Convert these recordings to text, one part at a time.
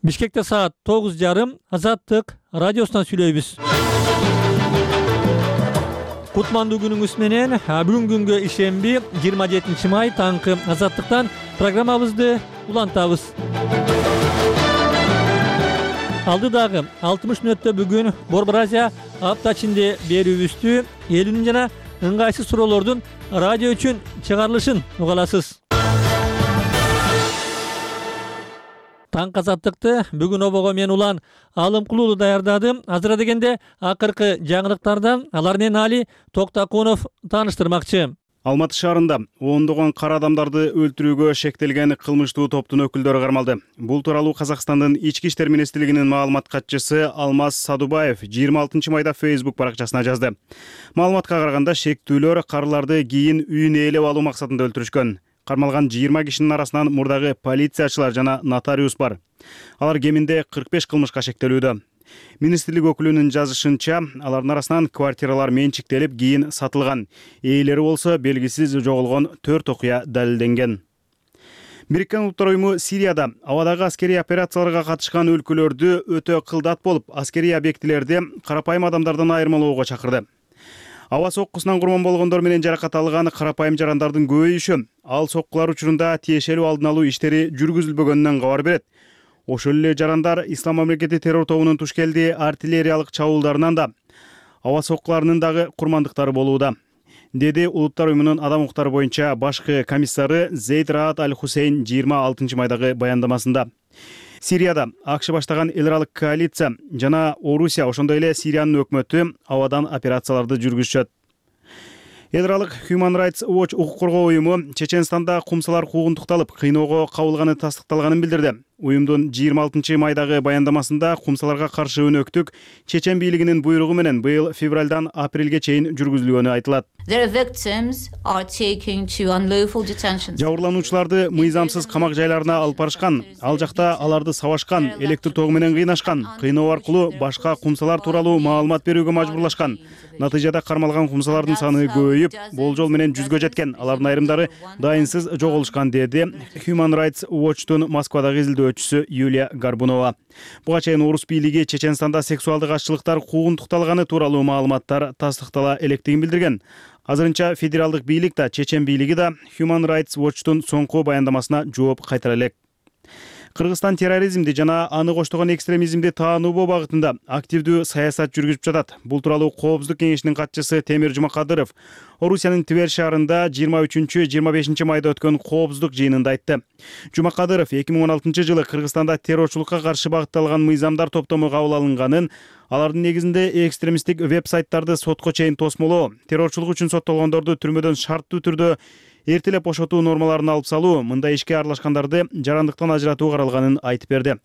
Бишкекте саат 9:30 Азаттык радиосунан сүйлөйбүз. Кутмандуу күнүңүз менен. Бүгүнкү күнгө ишемби 27 май таңкы Азаттыктан программабызды улантабыз. Алдыдагы 60 мүнөттө бүгүн Борбор Азия апта ичинде берүүбүздү элүүнүн жана ыңгайсыз суроолордун радио үчүн чыгарылышын угаласыз. Таңкы Азаттыкты бүгүн обого мен улан Алымкулуу даярдадым. Азыра дегенде акыркы жаңылыктардан алар менен Али Токтакунов тааныштырмакчы. Алматы шаарында ондогон кара адамдарды өлтүрүүгө шектелген кылмыштуу топтун өкүлдөрү кармалды. Бул тууралуу Казакстандын Ички иштер министрлигинин маалымат катчысы Алмаз Садубаев 26 майда Facebook баракчасына жазды. Маалыматка караганда шектүүлөр карыларды кийин үйүн ээлеп алуу максатында өлтүрүшкөн. Кармалган 20 кишинин арасынан мурдагы полициячылар жана нотариус бар. Алар кеминде 45 кылмышка шектелүүдө. Министрлик өкүлүнүн жазышынча, алардын арасынан квартиралар менчиктелип, кийин сатылган. Ээлери болсо белгисиз жоголгон 4 окуя далилденген. Бириккен Улуттар уюму Сирияда абадагы аскерий операцияларга катышкан өлкөлөрдү өтө кылдат болуп, аскерий объектилерди карапайым адамдардан айырмалоого чакырды. Аба соккусунан курман болгондор менен жаракат алган карапайым жарандардын көбөйүшү ал соккулар учурунда тиешелүү алдын алуу иштери жүргүзүлбөгөнүнөн кабар берет. Ошол эле жарандар Ислам мамлекети террор тобунун тушкелди артиллериялык чабуулдарынан да, аба соккуларынын дагы курмандыктары болууда, деди Улуттар уюмунун адам укуктары боюнча башкы комиссары Зейд Раат Аль-Хусейн 26 майдагы баяндамасында. Сирияда АКШ баштаган эл аралык коалиция жана Орусия, ошондой эле Сириянын өкмөтү абадан операцияларды жүргүзүшөт. Эл аралык Human Rights Watch укук коргоо уюму Чеченстанда кумсалар куугунтукталып, кыйноого кабылганы тастыкталганын билдирди. Уюмдун 26 майдагы баяндамасында кумсаларга каршы өнөктүк Чечен бийлигинин буйругу менен быйыл февралдан апрелге чейин жүргүзүлгөнү айтылат. Жабырлануучуларды мыйзамсыз камак жайларына алып барышкан, ал жакта аларды сабашкан, электр тогу менен кыйнашкан, кыйноо аркылуу башка кумсалар тууралуу маалымат берүүгө мажбурлашкан. Натыйжада кармалган кумсалардын саны көбөйүп, болжол менен 100гө жеткен. Алардын айрымдары дайынсыз жоголушкан, деди Human Rights Watch'тун Москвадагы изилдөөчүсү Юлия Горбунова. Буга чейин орус бийлиги Чеченстанда сексуалдык аччылыктар куугунтукталганы тууралуу маалыматтар тастыктала электигин билдирген. Азырынча федералдык бийлик да, Чечен бийлиги да Human Rights Watch'тун соңку баяндамасына жооп кайтара элек. Кыргызстан терроризмди жана аны коштогон экстремизмди таануу багытында активдүү саясат жүргүзүп жатат. Бул тууралуу Коопсуздук кеңешинин катчысы Темир Жумакадыров Орусиянын Тver шаарында 23-25 майда өткөн Коопсуздук жыйынында айтты. Жумакадыров 2016 жылы Кыргызстанда террорчулукка каршы багытталган мыйзамдар топтому кабыл алынганын, алардын негизинде экстремисттик веб-сайттарды сотко чейин тосмолоо, террорчулук үчүн соттолгондорду түрмөдөн шарттуу түрдө эртелеп бошотуу нормаларын алып салуу, мындай ишке аралашкандарды жарандыктан ажыратуу каралганын айтып берди.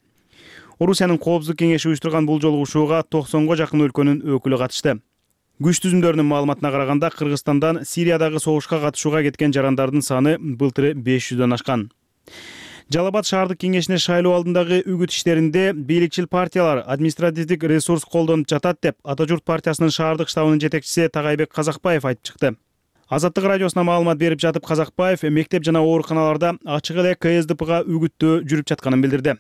Орусиянын Коопсуздук кеңеши уюштурган бул жолугушууга 90го жакын өлкөнүн өкүлү катышты. Күч түзүмдөрүнүн маалыматына караганда, Кыргызстандан Сириядагы согушка катышууга кеткен жарандардын саны былтыры 500дөн ашкан. Жалал Абад шаардык кеңешине шайлоо алдындагы үгүт иштеринде бийликчил партиялар административдик ресурс колдонуп жатат деп Ата журт партиясынын шаардык штабынын жетекчиси Тагайбек Казакбаев айтып чыкты. Азаттык радиосуна маалымат берип жатып Казакбаев мектеп жана ооруканаларда ачык эле КСДПга үгүттөө жүрүп жатканын билдирди.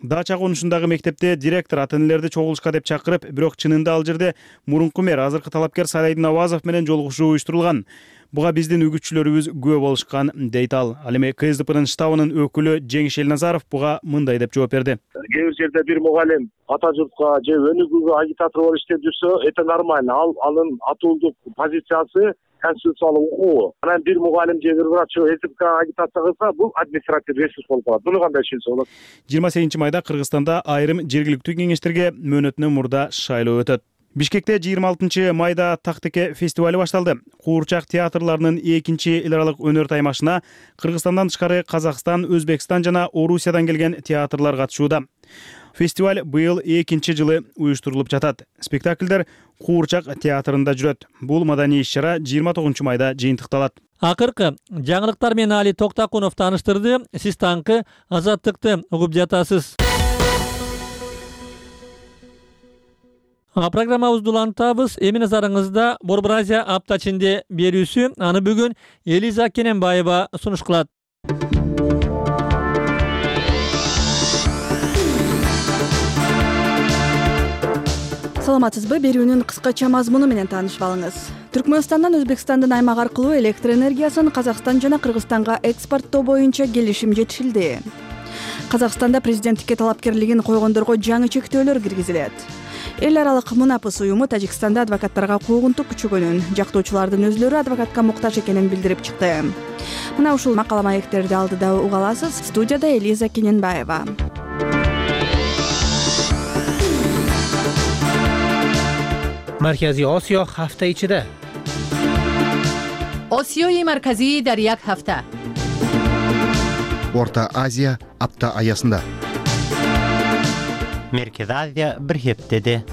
Дача конушундагы мектепте директор ата-энелерди чогулушка деп чакырып, бирок чынында ал жерде мурунку мэр, азыркы талапкер Сайдин Авазов менен жолугушуу уюштурулган. Буга биздин үгүтчүлөрүбүз күбө болушкан, дейт ал. Ал эми КСДПнын штабынын өкүлү Жеңиш Элназаров буга мындай деп жооп берди. Кээ бир жерде бир мугалим ата журтка же өнүгүүгө агитатор болуп иштеп жүрсө, это нормально. Анын атуулдук позициясы конституциялык укугу. Анан бир мугалим же бир врач СПК агитация кылса, бул административдик ресурс болуп калат. Буну кандай түшүнсө болот? 28 майда Кыргызстанда айрым жергиликтүү кеңештерге мөөнөтүнөн мурда шайлоо өтөт. Бишкекте 26 майда Тактеке фестивали башталды. Куурчак театрларынын 2-чи эл аралык өнөр таймашына Кыргызстандан тышкары Казакстан, Өзбекстан жана Орусиядан келген театрлар катышууда. Фестиваль быйыл 2-чи жылы уюштурулуп жатат. Спектакльдер Куурчак театрында жүрөт. Бул маданий иш-чара 29 майда жыйынтыкталат. Акыркы жаңылыктар менен Али Токтакунов тааныштырды. Сиз таңкы Азаттыкты угуп жатасыз. Программабызды улантабыз. Эми назарыңызда Борбор Азия апта ичинде берүүсү. Аны бүгүн Элиза Кененбаева сунуш кылат. Саламатсызбы? Берүүнүн кыскача мазмуну менен таанышып алыңыз. Түркмөнстандан Өзбекстандын аймак аркылуу электр энергиясын Казакстан жана Кыргызстанга экспорттоо боюнча келишим жетишилди. Казакстанда президенттикке талапкерлигин койгондорго жаңы чектөөлөр киргизилет. Эл аралык Мунапыс уюму Тажикстанда адвокаттарга куугунтук күчөгөнүн, жактоочулардын өзлөрү адвокатка муктаж экенин билдирип чыкты. Мына ушул макала маектерди алдыда уга аласыз. Студияда Элиза Кененбаева. Маркази Осиё ҳафта ичида. Осиёи марказии дар як ҳафта. Орта Азия апта аясында. Меркез Азия бир хептеде.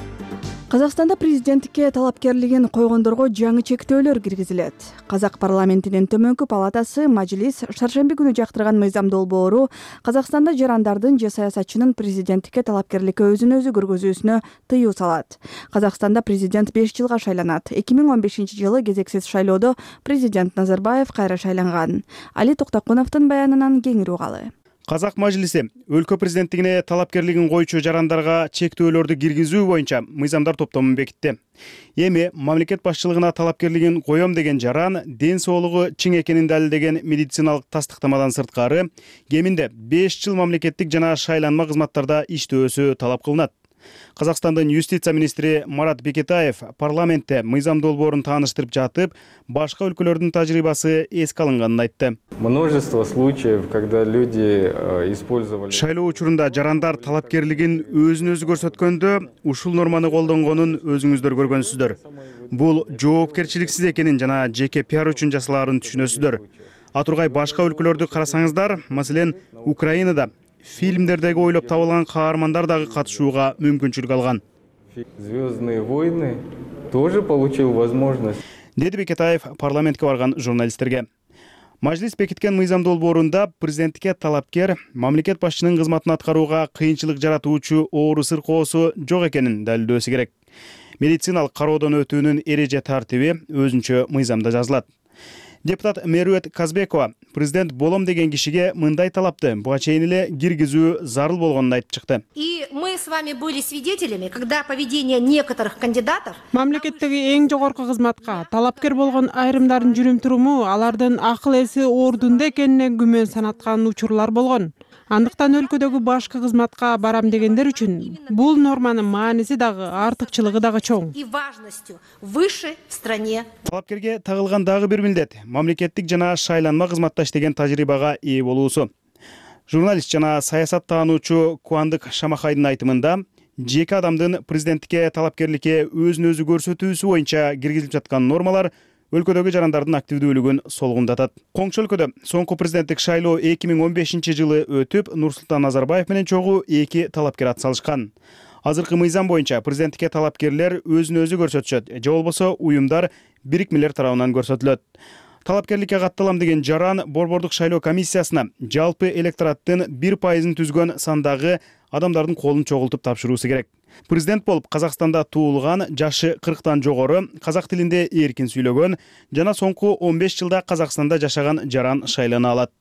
Казакстанда президенттикке талапкерлигин койгондорго жаңы чектөөлөр киргизилет. Казак парламентинин төмөнкү палатасы Мажлис шаршемби күнү жактырган мыйзам долбоору Казакстанда жарандардын же саясатчынын президенттикке талапкерликке өзүн өзү көргөзүүсүнө тыюу салат. Казакстанда президент 5 жылга шайланат. 2015-жылы кезексиз шайлоодо президент Назарбаев кайра шайланган. Али Токтокуновдун баянынан кеңири угалы. Казак мажлиси өлкө президенттигине талапкерлигин коюучу жарандарга чектөөлөрдү киргизүү боюнча мыйзамдар топтомун бекитти. Эми мамлекет башчылыгына талапкерлигин коем деген жаран ден соолугу чың экенин далилдеген медициналык тастыктамадан сырткары кеминде 5 жыл мамлекеттик жана шайланма кызматтарда иштөөсү талап кылынат. Казакстандын юстиция министри Марат Бекетаев парламентте мыйзам долбоорун тааныштырып жатып, башка өлкөлөрдүн тажрыйбасы эске алынганын айтты. Множество случаев, когда люди использовали... Шайлоо учурунда жарандар талапкерлигин өзүн өзү көрсөткөндө ушул норманы колдонгонун өзүңүздөр көргөнсүздөр. Бул жоопкерчиликсиз экенин жана жеке пиар үчүн жасалаарын түшүнөсүздөр. Атургай башка өлкөлөрдү карасаңыздар, маселен, Украинада фильмдердеги ойлоп табылган каармандар дагы катышууга мүмкүнчүлүк алган. Звездные войны тоже получил возможность. Деди Бекетаев парламентке барган журналисттерге. Мажлис бекиткен мыйзам долбоорунда президенттикке талапкер мамлекет башчынын кызматын аткарууга кыйынчылык жаратуучу оору сыркоосу жок экенин далилдөөсү керек. Медициналык кароодон өтүүнүн эреже тартиби өзүнчө мыйзамда жазылат. Депутат Мерует Казбекова президент болом деген кишиге мындай талапты буга чейин эле киргизүү зарыл болгонун айтып чыкты. И мы с вами были свидетелями, когда поведение некоторых кандидатов... Мамлекеттеги эң жогорку кызматка талапкер болгон айрымдардын жүрүм-туруму алардын акыл эси ордунда экенине күмөн санаткан учурлар болгон. Андыктан өлкөдөгү башкы кызматка барам дегендер үчүн бул норманын мааниси дагы артыкчылыгы дагы чоң. И важностью выше в стране. Талапкерге тагылган дагы бир милдет мамлекеттик жана шайланма кызматта иштеген тажрыйбага ээ болуусу. Журналист жана саясат таануучу Куандык Шамахайдын айтымында жеке адамдын президенттикке талапкерликке өзүн өзү көрсөтүүсү боюнча киргизилип жаткан нормалар өлкөдөгү жарандардын активдүүлүгүн солгундатат. Коңшу өлкөдө соңку президенттик шайлоо 2015-жылы өтүп, Нурсултан Назарбаев менен чогуу 2 талапкер ат салышкан. Азыркы мыйзам боюнча президенттикке талапкерлер өзүн өзү көрсөтүшөт, же болбосо уюмдар бирикмелер тарабынан көрсөтүлөт. Талапкерликке катталам деген жаран Борбордук шайлоо комиссиясына жалпы электораттын 1% түзгөн сандагы адамдардын колун чогултуп тапшыруусу керек. Президент болуп Казакстанда туулган, жашы 40тан жогору, казак тилинде эркин сүйлөгөн жана соңку 15 жылда Казакстанда жашаган жаран шайлана алат.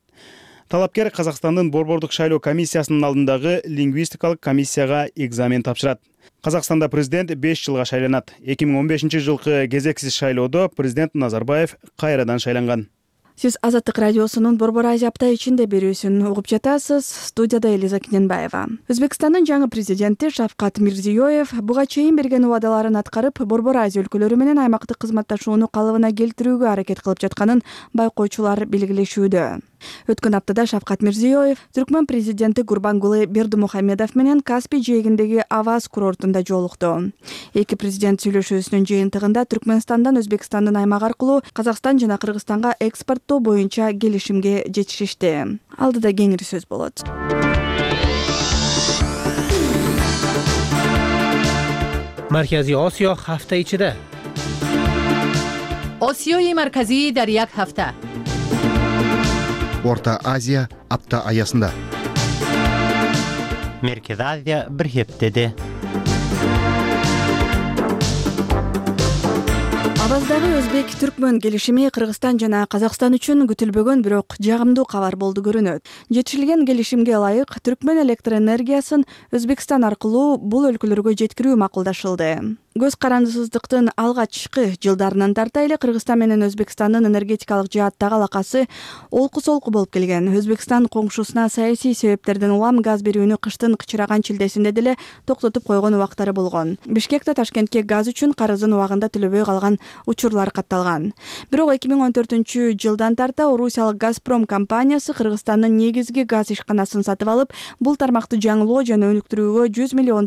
Талапкер Казакстандын Борбордук шайлоо комиссиясынын алдындагы лингвистикалык комиссияга экзамен тапшырат. Казакстанда президент 5 жылга шайланат. 2015-жылкы кезексиз шайлоодо президент Назарбаев кайрадан шайланган. Сиз Азаттык радиосунун Борбор Азия апта ичинде берүүсүн угуп жатасыз. Студияда Элиза Кененбаева. Өзбекстандын жаңы президенти Шавкат Мирзиёев буга чейин берген убадаларын аткарып, Борбор Азия өлкөлөрү менен аймактык кызматташууну калыбына келтирүүгө аракет кылып жатканын байкоочулар белгилешүүдө. Өткөн аптада Шавкат Мирзиёев Түркмөн президенти Гурбангулы Бердимухамедов менен Каспий жээгиндеги Аваз курортунда жолукту. Эки президент сүйлөшүүсүнүн жыйынтыгында Түркмөнстандан Өзбекстандын аймак аркылуу Казакстан жана Кыргызстанга экспорттоо боюнча келишимге жетишишти. Алдыда кеңири сөз болот. Маркази Осиё ҳафта ичида. Осиёи марказии дар як ҳафта. Орта Азия апта аясында. Меркез Азия бир хептеде. Аваздагы Өзбек-Түркмөн келишими Кыргызстан жана Казакстан үчүн күтүлбөгөн, бирок жагымдуу кабар болду көрүнөт. Жетишилген келишимге ылайык Түркмөн электр энергиясын Өзбекстан аркылуу бул өлкөлөргө жеткирүү макулдашылды. Көз карандысыздыктын алгачкы жылдарынан тарта эле Кыргызстан менен Өзбекстандын энергетикалык жааттагы алакасы олку-солку болуп келген. Өзбекстан коңшусуна саясий себептерден улам газ берүүнү кыштын кычыраган шилдесинде деле токтотуп койгон убактары болгон. Бишкекте Ташкентке газ үчүн карызын убагында төлөбөй калган учурлар катталган. Бирок 2014-жылдан тарта Орусиялык Газпром компаниясы Кыргызстандын негизги газ ишканасын сатып алып, бул тармакты жаңылоо жана өнүктүрүүгө $100 миллион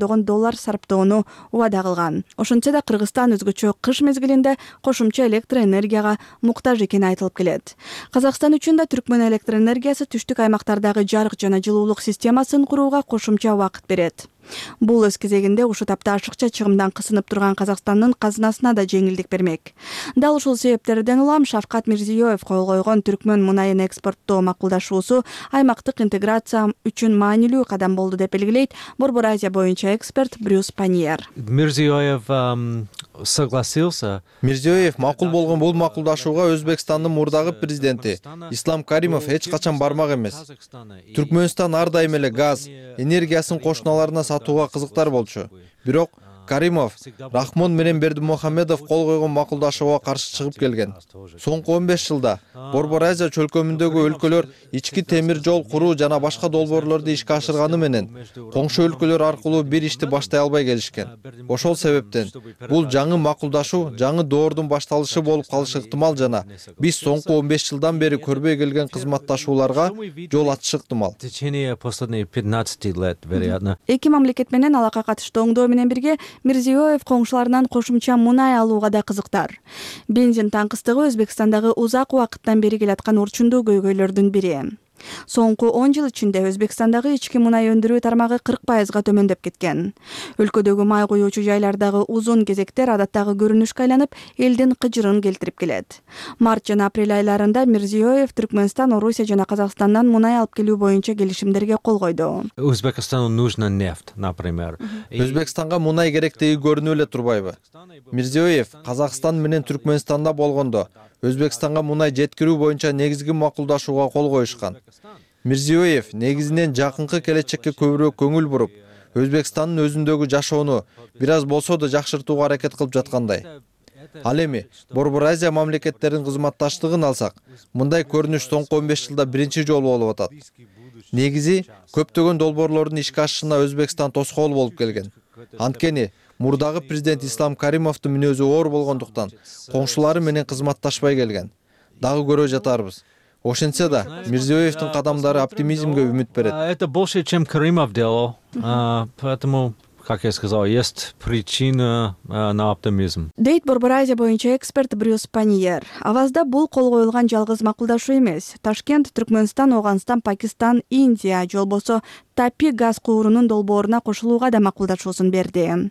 сарптоону убада кылган. Ошентсе да Кыргызстан өзгөчө кыш мезгилинде кошумча электроэнергияга муктаж экени айтылып келет. Казакстан үчүн да Түркмөн электроэнергиясы түштүк аймактардагы жарык жана жылуулук системасын курууга кошумча убакыт берет. Бул өз кезегинде ушул тапта ашыкча чыгымдан кысынып турган Казакстандын казынасына да жеңилдик бермек. Дал ушул себептерден улам Шавкат Мирзиёев кол койгон Түркмөн мунайын экспорттоо макулдашуусу аймактык интеграция үчүн маанилүү кадам болду деп белгилейт Борбор Азия боюнча эксперт Брюс Паньер. Мирзиёев макул болгон бул макулдашууга Өзбекстандын мурдагы президенти Ислам Каримов эч качан бармак эмес. Түркмөнстан ар дайым эле газ, энергиясын кошуналарына сатууга кызыктар болчу. Бирок Каримов Рахмон менен Бердимухамедов кол койгон макулдашууга каршы чыгып келген. Соңку 15 жылда Борбор Азия чөлкөмүндөгү өлкөлөр ички темир жол куруу жана башка долбоорлорду ишке ашырганы менен коңшу өлкөлөр аркылуу бир ишти баштай албай келишкен. Ошол себептен бул жаңы макулдашуу жаңы доордун башталышы болуп калышы ыктымал жана биз соңку 15 жылдан бери көрбөй келген кызматташууларга жол ачышы ыктымал. Эки мамлекет менен алака катыштуу оңдоо менен бирге Мирзиёев коңшуларынан кошумча мунай алууга да кызыктар. Бензин таңкыстыгы Өзбекстандагы узак убакыттан бери келаткан урчундуу көйгөйлөрдүн бири. Соңку 10 жыл ичинде Өзбекстандагы ички мунай өндүрүү тармагы 40%га төмөндөп кеткен. Өлкөдөгү май куюучу жайлардагы узун кезектер адаттагы көрүнүшкө айланып, элдин кыжырын келтирип келет. Март жана апрель айларында Мирзиёев Түркмөнстан, Орусия жана Казакстандан мунай алып келүү боюнча келишимдерге кол койду. Өзбекстанга нужна нефть, например. Өзбекстанга мунай керектиги көрүнүп эле турбайбы? Мирзиёев Казакстан менен Түркмөнстанда болгондо Өзбекстанга мунай жеткирүү боюнча негизги макулдашууга кол коюшкан. Мирзиёев негизинен жакынкы келечекке көбүрөөк көңүл буруп, Өзбекстандын өзүндөгү жашоону бир аз болсо да жакшыртууга аракет кылып жаткандай. Ал эми Борбор Азия мамлекеттеринин кызматташтыгын алсак, мындай көрүнүш соңку 15 жылда биринчи жолу болуп атат. Негизи көптөгөн долбоорлордун ишке ашышына Өзбекстан тоскоол болуп келген. Анткени мурдагы президент Ислам Каримовдун мүнөзү оор болгондуктан коңшулары менен кызматташпай келген. Дагы көрө жатарбыз. Ошентсе да Мирзиёевдин кадамдары оптимизмге үмүт берет. Это больше, чем Каримов делал, поэтому, как я сказал, есть причина на оптимизм. Дейт Борбор Азия боюнча эксперт Брюс Паньер. Авазда бул кол коюлган жалгыз макулдашуу эмес. Ташкент, Түркмөнстан, Оганстан, Пакистан, Индия жолбосо Тапи газ куурунун долбооруна кошулууга да макулдашуусун берди.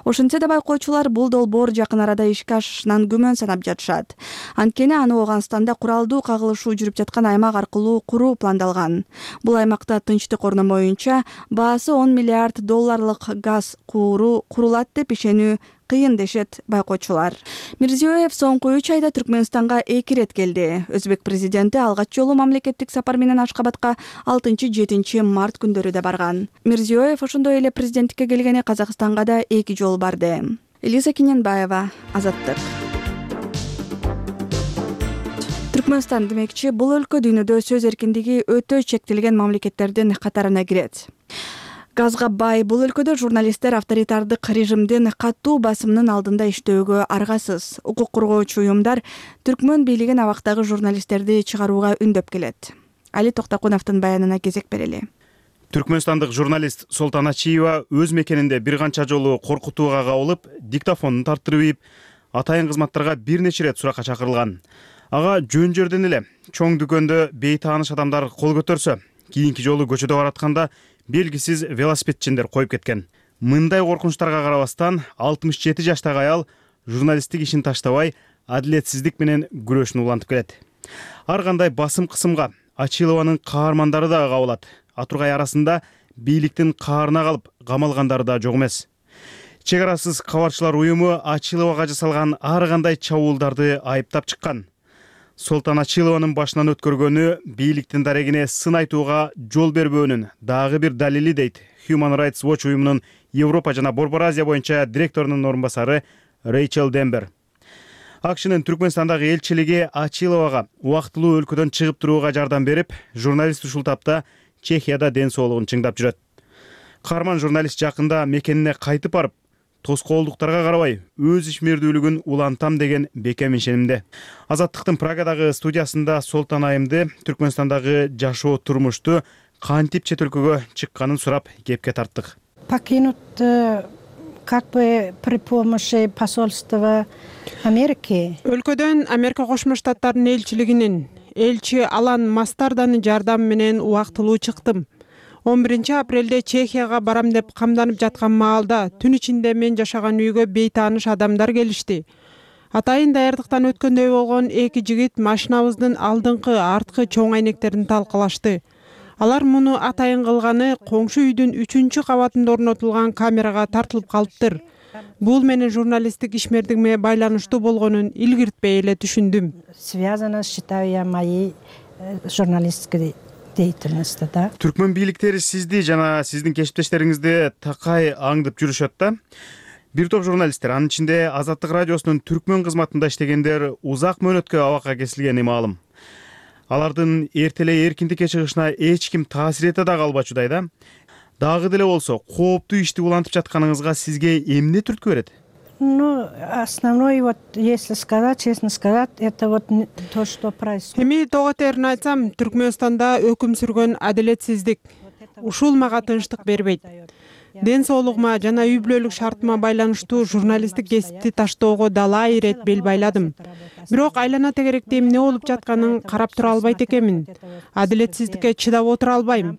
Ошентсе да байкоочулар бул долбоор жакын арада ишке ашышынан күмөн санап жатышат. Анткени аны Оганстанда куралдуу кагылышуу жүрүп жаткан аймак аркылуу куруу пландалган. Бул аймакта тынчтык орномоюнча баасы $10 миллиард газ кууру курулат деп ишенүү кыйын дешет байкоочулар. Мирзиёев соңку 3 айда Түркмөнстанга 2 рет келди. Өзбек президенти алгач жолу мамлекеттик сапар менен Ашкабадка 6-7 март күндөрү да барган. Мирзиёев ошондой эле президенттикке келгени Казакстанга да 2 жолу барды. Элиза Киненбаева, Азаттык. Түркмөнстан демекчи бул өлкө дүйнөдө сөз эркиндиги өтө чектелген мамлекеттердин катарына кирет. Газга бай бул өлкөдө журналисттер авторитардык режимдин катуу басымынын алдында иштөөгө аргасыз. Укук коргоочу уюмдар Түркмөн бийлигин абактагы журналисттерди чыгарууга үндөп келет. Али Токтакуновдун баянына кезек берели. Түркмөнстандык журналист Солтан Ачиева өз мекенинде бир канча жолу коркутууга кабылып, диктофонун тарттырып ийип, атайын кызматтарга бир нече рет суракка чакырылган. Ага жөн жерден эле чоң дүкөндө бейтааныш адамдар кол көтөрсө, кийинки жолу көчөдө баратканда белгисиз велосипедчиндер коюп кеткен. Мындай коркунучтарга карабастан 67 жаштагы аял журналисттик ишин таштабай, адилетсиздик менен күрөшүн улантып келет. Ар кандай басым кысымга Ачилованын каармандары да кабылат. Атургай арасында бийликтин каарына калып камалгандары да жок эмес. Чек арасыз кабарчылар уюму Ачиловага жасалган ар кандай чабуулдарды айыптап чыккан. Солтан Ачилованын башынан өткөргөнү бийликтин дарегине сын айтууга жол бербөөнүн дагы бир далили дейт Human Rights Watch уюмунун Европа жана Борбор Азия боюнча директорунун орун басары Рэйчел Дембер. АКШнын Түркмөнстандагы элчилиги Ачиловага убактылуу өлкөдөн чыгып турууга жардам берип, журналист ушул тапта Чехияда ден соолугун чыңдап жүрөт. Каарман журналист жакында мекенине кайтып барып, тоскоолдуктарга карабай өз ишмердүүлүгүн улантам деген бекем ишенимде. Азаттыктын Прагадагы студиясында Солтан айымды Түркмөнстандагы жашоо турмушту кантип чет өлкөгө чыкканын сурап кепке тарттык. Покинут как бы при помощи посольства Америки. Өлкөдөн Америка Кошмо Штаттарынын элчилигинин элчи Алан Мастарданын жардамы менен убактылуу чыктым. 11-апрелде Чехияга барам деп камданып жаткан маалда түн ичинде мен жашаган үйгө бейтааныш адамдар келишти. Атайын даярдыктан өткөндөй болгон эки жигит машинабыздын алдыңкы, арткы чоң айнектерин талкалашты. Алар муну атайын кылганы коңшу үйдүн 3-кабатында орнотулган камерага тартылып калыптыр. Бул менин журналисттик ишмердигиме байланыштуу болгонун илгиртпей эле түшүндүм. Связано, считаю я, моей журналистской деятельности, да. Түркмөн бийликтери сизди жана сиздин кесиптештериңизди такай аңдып жүрүшөт да. Бир топ журналисттер, анын ичинде Азаттык радиосунун Түркмөн кызматында иштегендер узак мөөнөткө абакка кесилгени маалым. Алардын эртелей эркиндикке чыгышына эч ким таасир эте да калбачудай да. Дагы деле болсо, кооптуу ишти улантып жатканыңызга сизге эмне түрткү берет? Ну, основной, вот, если сказать, честно сказать, это вот то, что происходит. Эми тоо терин айтсам, Түркмөнстанда өкүм сүргөн адилетсиздик. Ушул мага тынчтык бербейт. Ден соолугума жана үй бүлөлүк шартыма байланыштуу журналисттик кесипти таштоого далай ирет бел байладым. Бирок айлана тегеректе эмне болуп жатканын карап тура албайт экенмин. Адилетсиздикке чыдап отура албайм.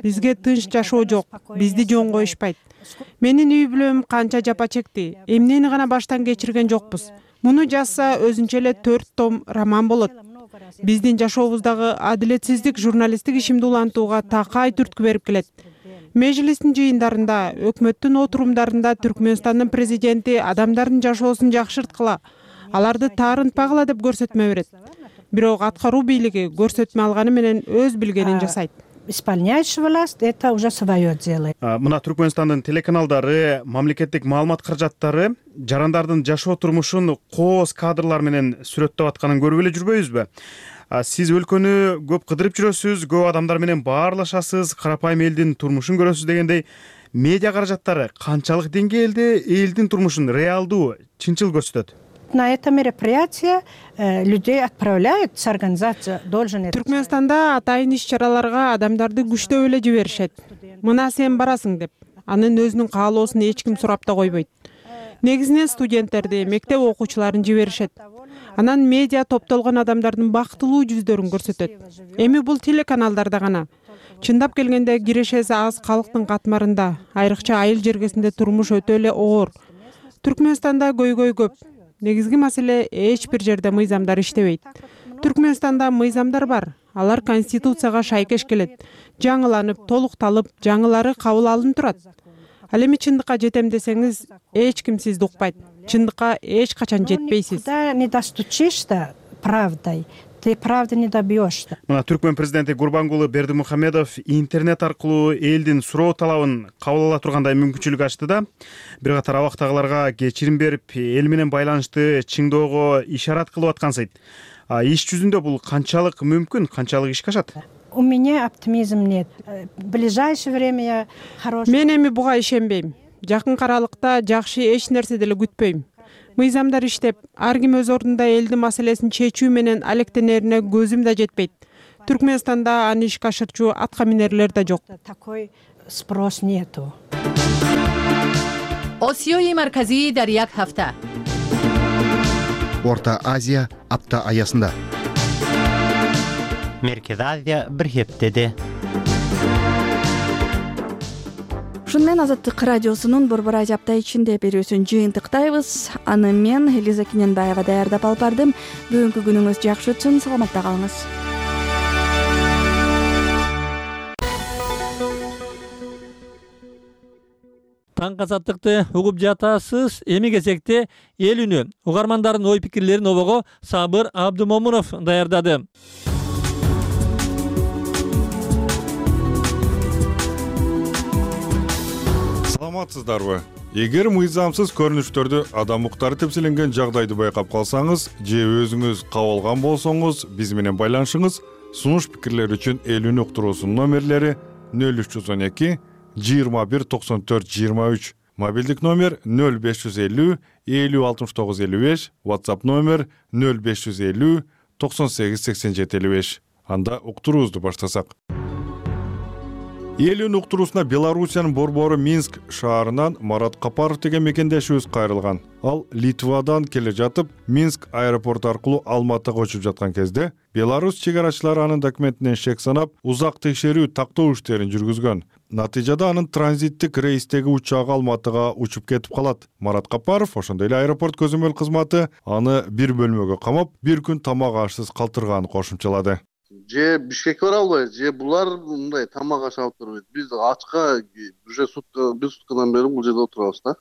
Бизге тынч жашоо жок, бизди жөн коюшпайт. Менин үй бүлөм канча жапа чекти, эмнени гана баштан кечирген жокпуз. Муну жазса өзүнчө эле 4 том роман болот. Биздин жашообуздагы адилетсиздик журналисттик ишимди улантууга такай түрткү берип келет. Мejлистин жыйындарында, өкмөттүн отурумдарында Түркмөнстандын президенти адамдардын жашоосун жакшырткыла, аларды таарынтпагыла деп көрсөтмө берет. Бирок аткаруу бийлиги көрсөтмө алганы менен өз билгенин жасайт. Исполняющая власть это уже свое делает. Мына Түркмөнстандын телеканалдары, мамлекеттик маалымат каражаттары жарандардын жашоо турмушун кооз кадрлар менен сүрөттөп атканын көрүп эле жүрбөйбүзбү? Сиз өлкөнү көп кыдырып жүрөсүз, көп адамдар менен баарлашасыз, карапайым элдин турмушун көрөсүз дегендей, медиа каражаттары канчалык деңгээлде элдин турмушун реалдуу, чынчыл көрсөтөт? На это мероприятие людей отправляют с организацией должен. Түркмөнстанда атайын иш-чараларга адамдарды күчтөп эле жиберишет. Мына сен барасың деп. Анын өзүнүн каалоосун эч ким сурап да койбойт. Негизинен студенттерди, мектеп окуучуларын жиберишет. Анан медиа топтолгон адамдардын бактылуу жүздөрүн көрсөтөт. Эми бул телеканалдарда гана. Чындап келгенде кирешеси аз калктын катмарында, айрыкча айыл жергесинде турмуш өтө эле оор. Түркмөнстанда көйгөй көп. Негизги маселе эч бир жерде мыйзамдар иштебейт. Түркмөнстанда мыйзамдар бар. Алар конституцияга шайкеш келет. Жаңыланып, толукталып, жаңылары кабыл алынып турат. Ал эми чындыкка жетем десеңиз, эч ким сизди укпайт. Чындыкка эч качан жетпейсиз. Не достучишься правдой, ты правды не добьешься. Мына Түркмөн президенти Гурбангулы Бердимухамедов интернет аркылуу элдин суроо талабын кабыл ала тургандай мүмкүнчүлүк ачты да. Бир катар абактагыларга кечирим берип, эл менен байланышты чыңдоого ишарат кылып аткансыйт. Иш жүзүндө бул канчалык мүмкүн, канчалык ишке ашат? У меня оптимизм нет. В ближайшее время я хороший. Мен эми буга ишенбейм. Жакын аралыкта жакшы эч нерсе деле күтпөйм. Мыйзамдар иштеп, ар ким өз ордунда элдин маселесин чечүү менен алектенерине көзүм да жетпейт. Түркмөнстанда аны ишке ашырчу атка минерлер да жок. Такой спрос нету. Осиёи марказии дар як ҳафта. Орта Азия апта аясында. Меркез Азия бир хептеде. Ушун менен Азаттык радиосунун Борбор Азия апта ичинде берүүсүн жыйынтыктайбыз. Аны мен Элиза Киненбаева даярдап алып бардым. Бүгүнкү күнүңүз жакшы өтсүн, саламатта калыңыз. Таңкы азаттыкты угуп жатасыз. Эми кезекте эл үнү угармандардын ой пикирлерин обого Сабыр Абдымомунов даярдады. Саламатсыздарбы? Эгер мыйзамсыз көрүнүштөрдү адам укуктары тепселенген жагдайды байкап калсаңыз же өзүңүз кабылган болсоңуз, биз менен байланышыңыз. Сунуш пикирлер үчүн эл үнү уктуруусунун номерлери 0312 21 94 23, мобилдик номер 0550 50 69 55, WhatsApp номер 0550 98 87 55. Анда уктуруубузду баштасак. Эл үнү уктуруусуна Белоруссиянын борбору Минск шаарынан Марат Капаров деген мекендешибиз кайрылган. Ал Литвадан келе жатып, Минск аэропорту аркылуу Алматыга учуп жаткан кезде Беларусь чегарачылары анын документинен шек санап, узак текшерүү тактоо иштерин жүргүзгөн. Натыйжада анын транзиттик рейстеги учагы Алматыга учуп кетип калат. Марат Капаров, ошондой эле аэропорт көзөмөл кызматы аны бир бөлмөгө камап, бир күн тамак ашсыз калтырганын кошумчалады. Же Бишкекке бара албайбыз, же булар мындай тамак аш алып турбайт. Биз ачка уже бир суткадан бери бул жерде отурабыз да.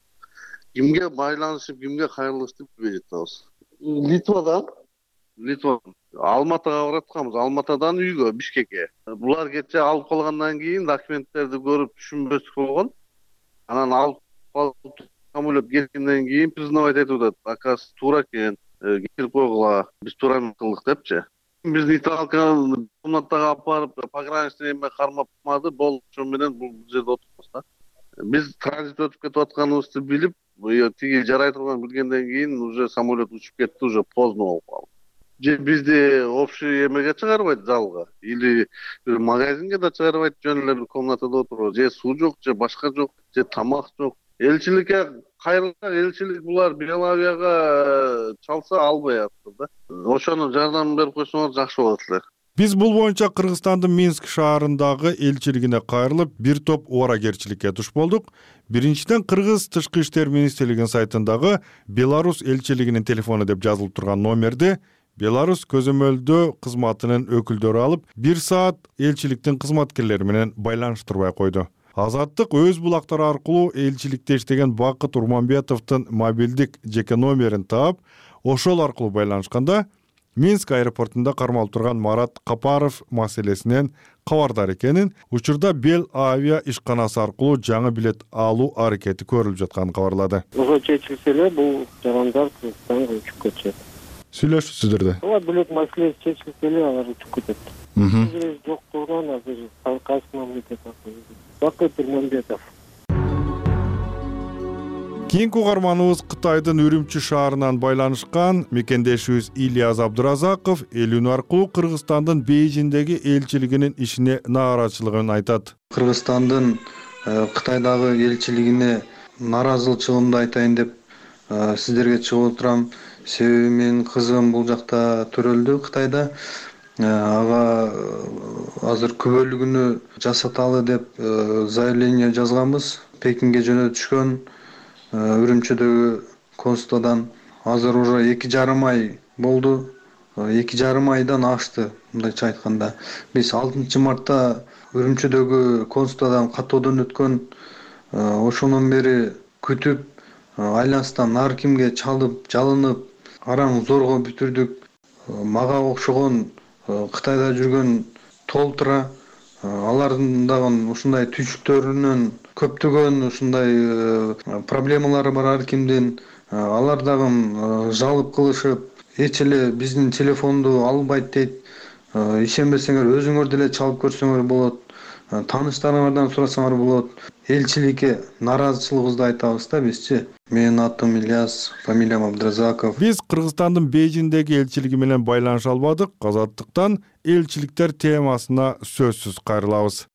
Кимге байланышып, кимге кайрылышты билбей жатабыз. Литвадан Алматыга баратканбыз. Алматыдан үйгө, Бишкекке. Булар кече алып калгандан кийин документтерди көрүп түшүнбөстүк болгон. Анан алып калып самолет кеткенден кийин признавать этип атат. Акасы туура экен, кечирип койгула, биз туура кылдык депчи. Биз нейтралканы комнатага алып барып, пограничный эме кармап калмады, болду, ошо менен бул жерде отурабыз да. Биз транзит өтүп кетип атканыбызды билип, тиги жарай турганын билгенден кийин уже самолет учуп кетти, уже поздно болуп калды. Же бизди общий эмеге чыгарбайт, залга, или бир магазинге да чыгарбайт, жөн эле бир комнатада отурабыз. Же суу жок, же башка жок, же тамак жок. Элчиликке кайрылсак, элчилик булар Белавияга чалса албай атты да. Ошону жардам берип койсоңор жакшы болот эле. Биз бул боюнча Кыргызстандын Минск шаарындагы элчилигине кайрылып, бир топ убаракерчиликке туш болдук. Биринчиден, Кыргыз Тышкы иштер министрлигинин сайтындагы Беларусь элчилигинин телефону деп жазылып турган номерди Беларусь көзөмөлдөө кызматынын өкүлдөрү алып, 1 саат элчиликтин кызматкерлери менен байланыштырбай койду. Азаттык өз булактары аркылуу элчиликте иштеген Бакыт Урманбетовдун мобилдик жеке номерин таап, ошол аркылуу байланышканда Минск аэропортунда кармалып турган Марат Капаров маселесинен кабардар экенин, учурда Бел Авиа ишканасы аркылуу жаңы билет алуу аракети көрүлүп жатканын кабарлады. Ошо чечилсе эле бул жарандар Кыргызстанга учуп кетишет. Сүйлөшүпсүздөр да. Ооба, билет маселеси чечилсе эле алар учуп кетет. Жоктугунан азыр кайсы мамлекет Бакыт Урманбетов. Кийинки угарманыбыз Кытайдын Үрүмчү шаарынан байланышкан мекендешибиз Ильяс Абдыразаков эл үнү аркылуу Кыргызстандын Бейжиңдеги элчилигинин ишине нааразычылыгын айтат. Кыргызстандын Кытайдагы элчилигине нааразычылыгымды айтайын деп сиздерге чыгып отурам. Себеби менин кызым бул жакта төрөлдү Кытайда. Ага азыр күбөлүгүнү жасаталы деп заявление жазганбыз. Пекинге жөнөтүшкөн Үрүмчүдөгү консулдан. Азыр уже 2,5 ай болду. 2,5 айдан ашты, мындайча айтканда. Биз 6 мартта Үрүмчүдөгү консулдан каттоодон өткөн, ошондон бери күтүп, айланыстан ар кимге чалып, жалынып, араң зорго бүтүрдүк. Мага окшогон Кытайда жүргөн толтура, алардын дагы ушундай түйшүктөрүнөн көптөгөн ушундай проблемалары бар ар кимдин. Алар дагы жалып кылышып, эч эле биздин телефонду албайт дейт. Ишенбесеңер өзүңөр деле чалып көрсөңөр болот. Тааныштарыңардан сурасаңар болот. Элчиликке нааразычылыгыбызды айтабыз да бизчи. Менин атым Ильяс, фамилиям Абдыразаков. Биз Кыргызстандын Бейжиңдеги элчилиги менен байланыша албадык. Азаттыктан элчиликтер темасына сөзсүз кайрылабыз.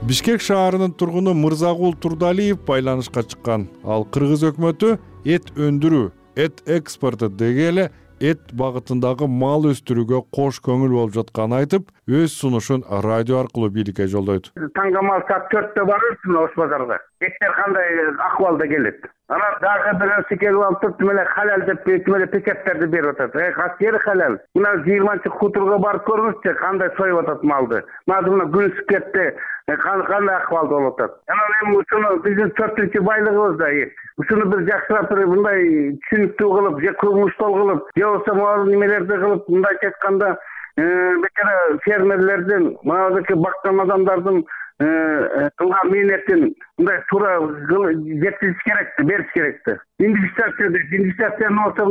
Бишкек шаарынын тургуну Мырзагул Турдалиев байланышка чыккан. Ал Кыргыз өкмөтү эт өндүрүү, эт экспорту дегеле эт багытындагы мал өстүрүүгө кош көңүл болуп жатканын айтып, өз сунушун радио аркылуу бийликке жолдойт. Таңгамал саат 4-тө барырсың Ош базарга. Эттер кандай акыбалда келет. Анан дагы бирөөсү келип алып туруп эле халал деп пикеттерди берип атат. Качери халал. Мына 20-чы хуторго барып көрүңүзчү, кандай союп атат малды. Азыр мына күн ысып кетти. Кандай акыбалда болуп атат. Анан эми ушуну биздин 4-чү байлыгыбыз да эт. Ушуну бир жакшыраак мындай түшүнүктүү кылып, же көмүштол кылып, же болбосо могу немелерди кылып, мындайча айтканда, бекер фермерлердин, мынадагы баккан адамдардын кылган мээнетин мындай туура жеткизиш керекти, бериш керекти. Инвестициянын болсо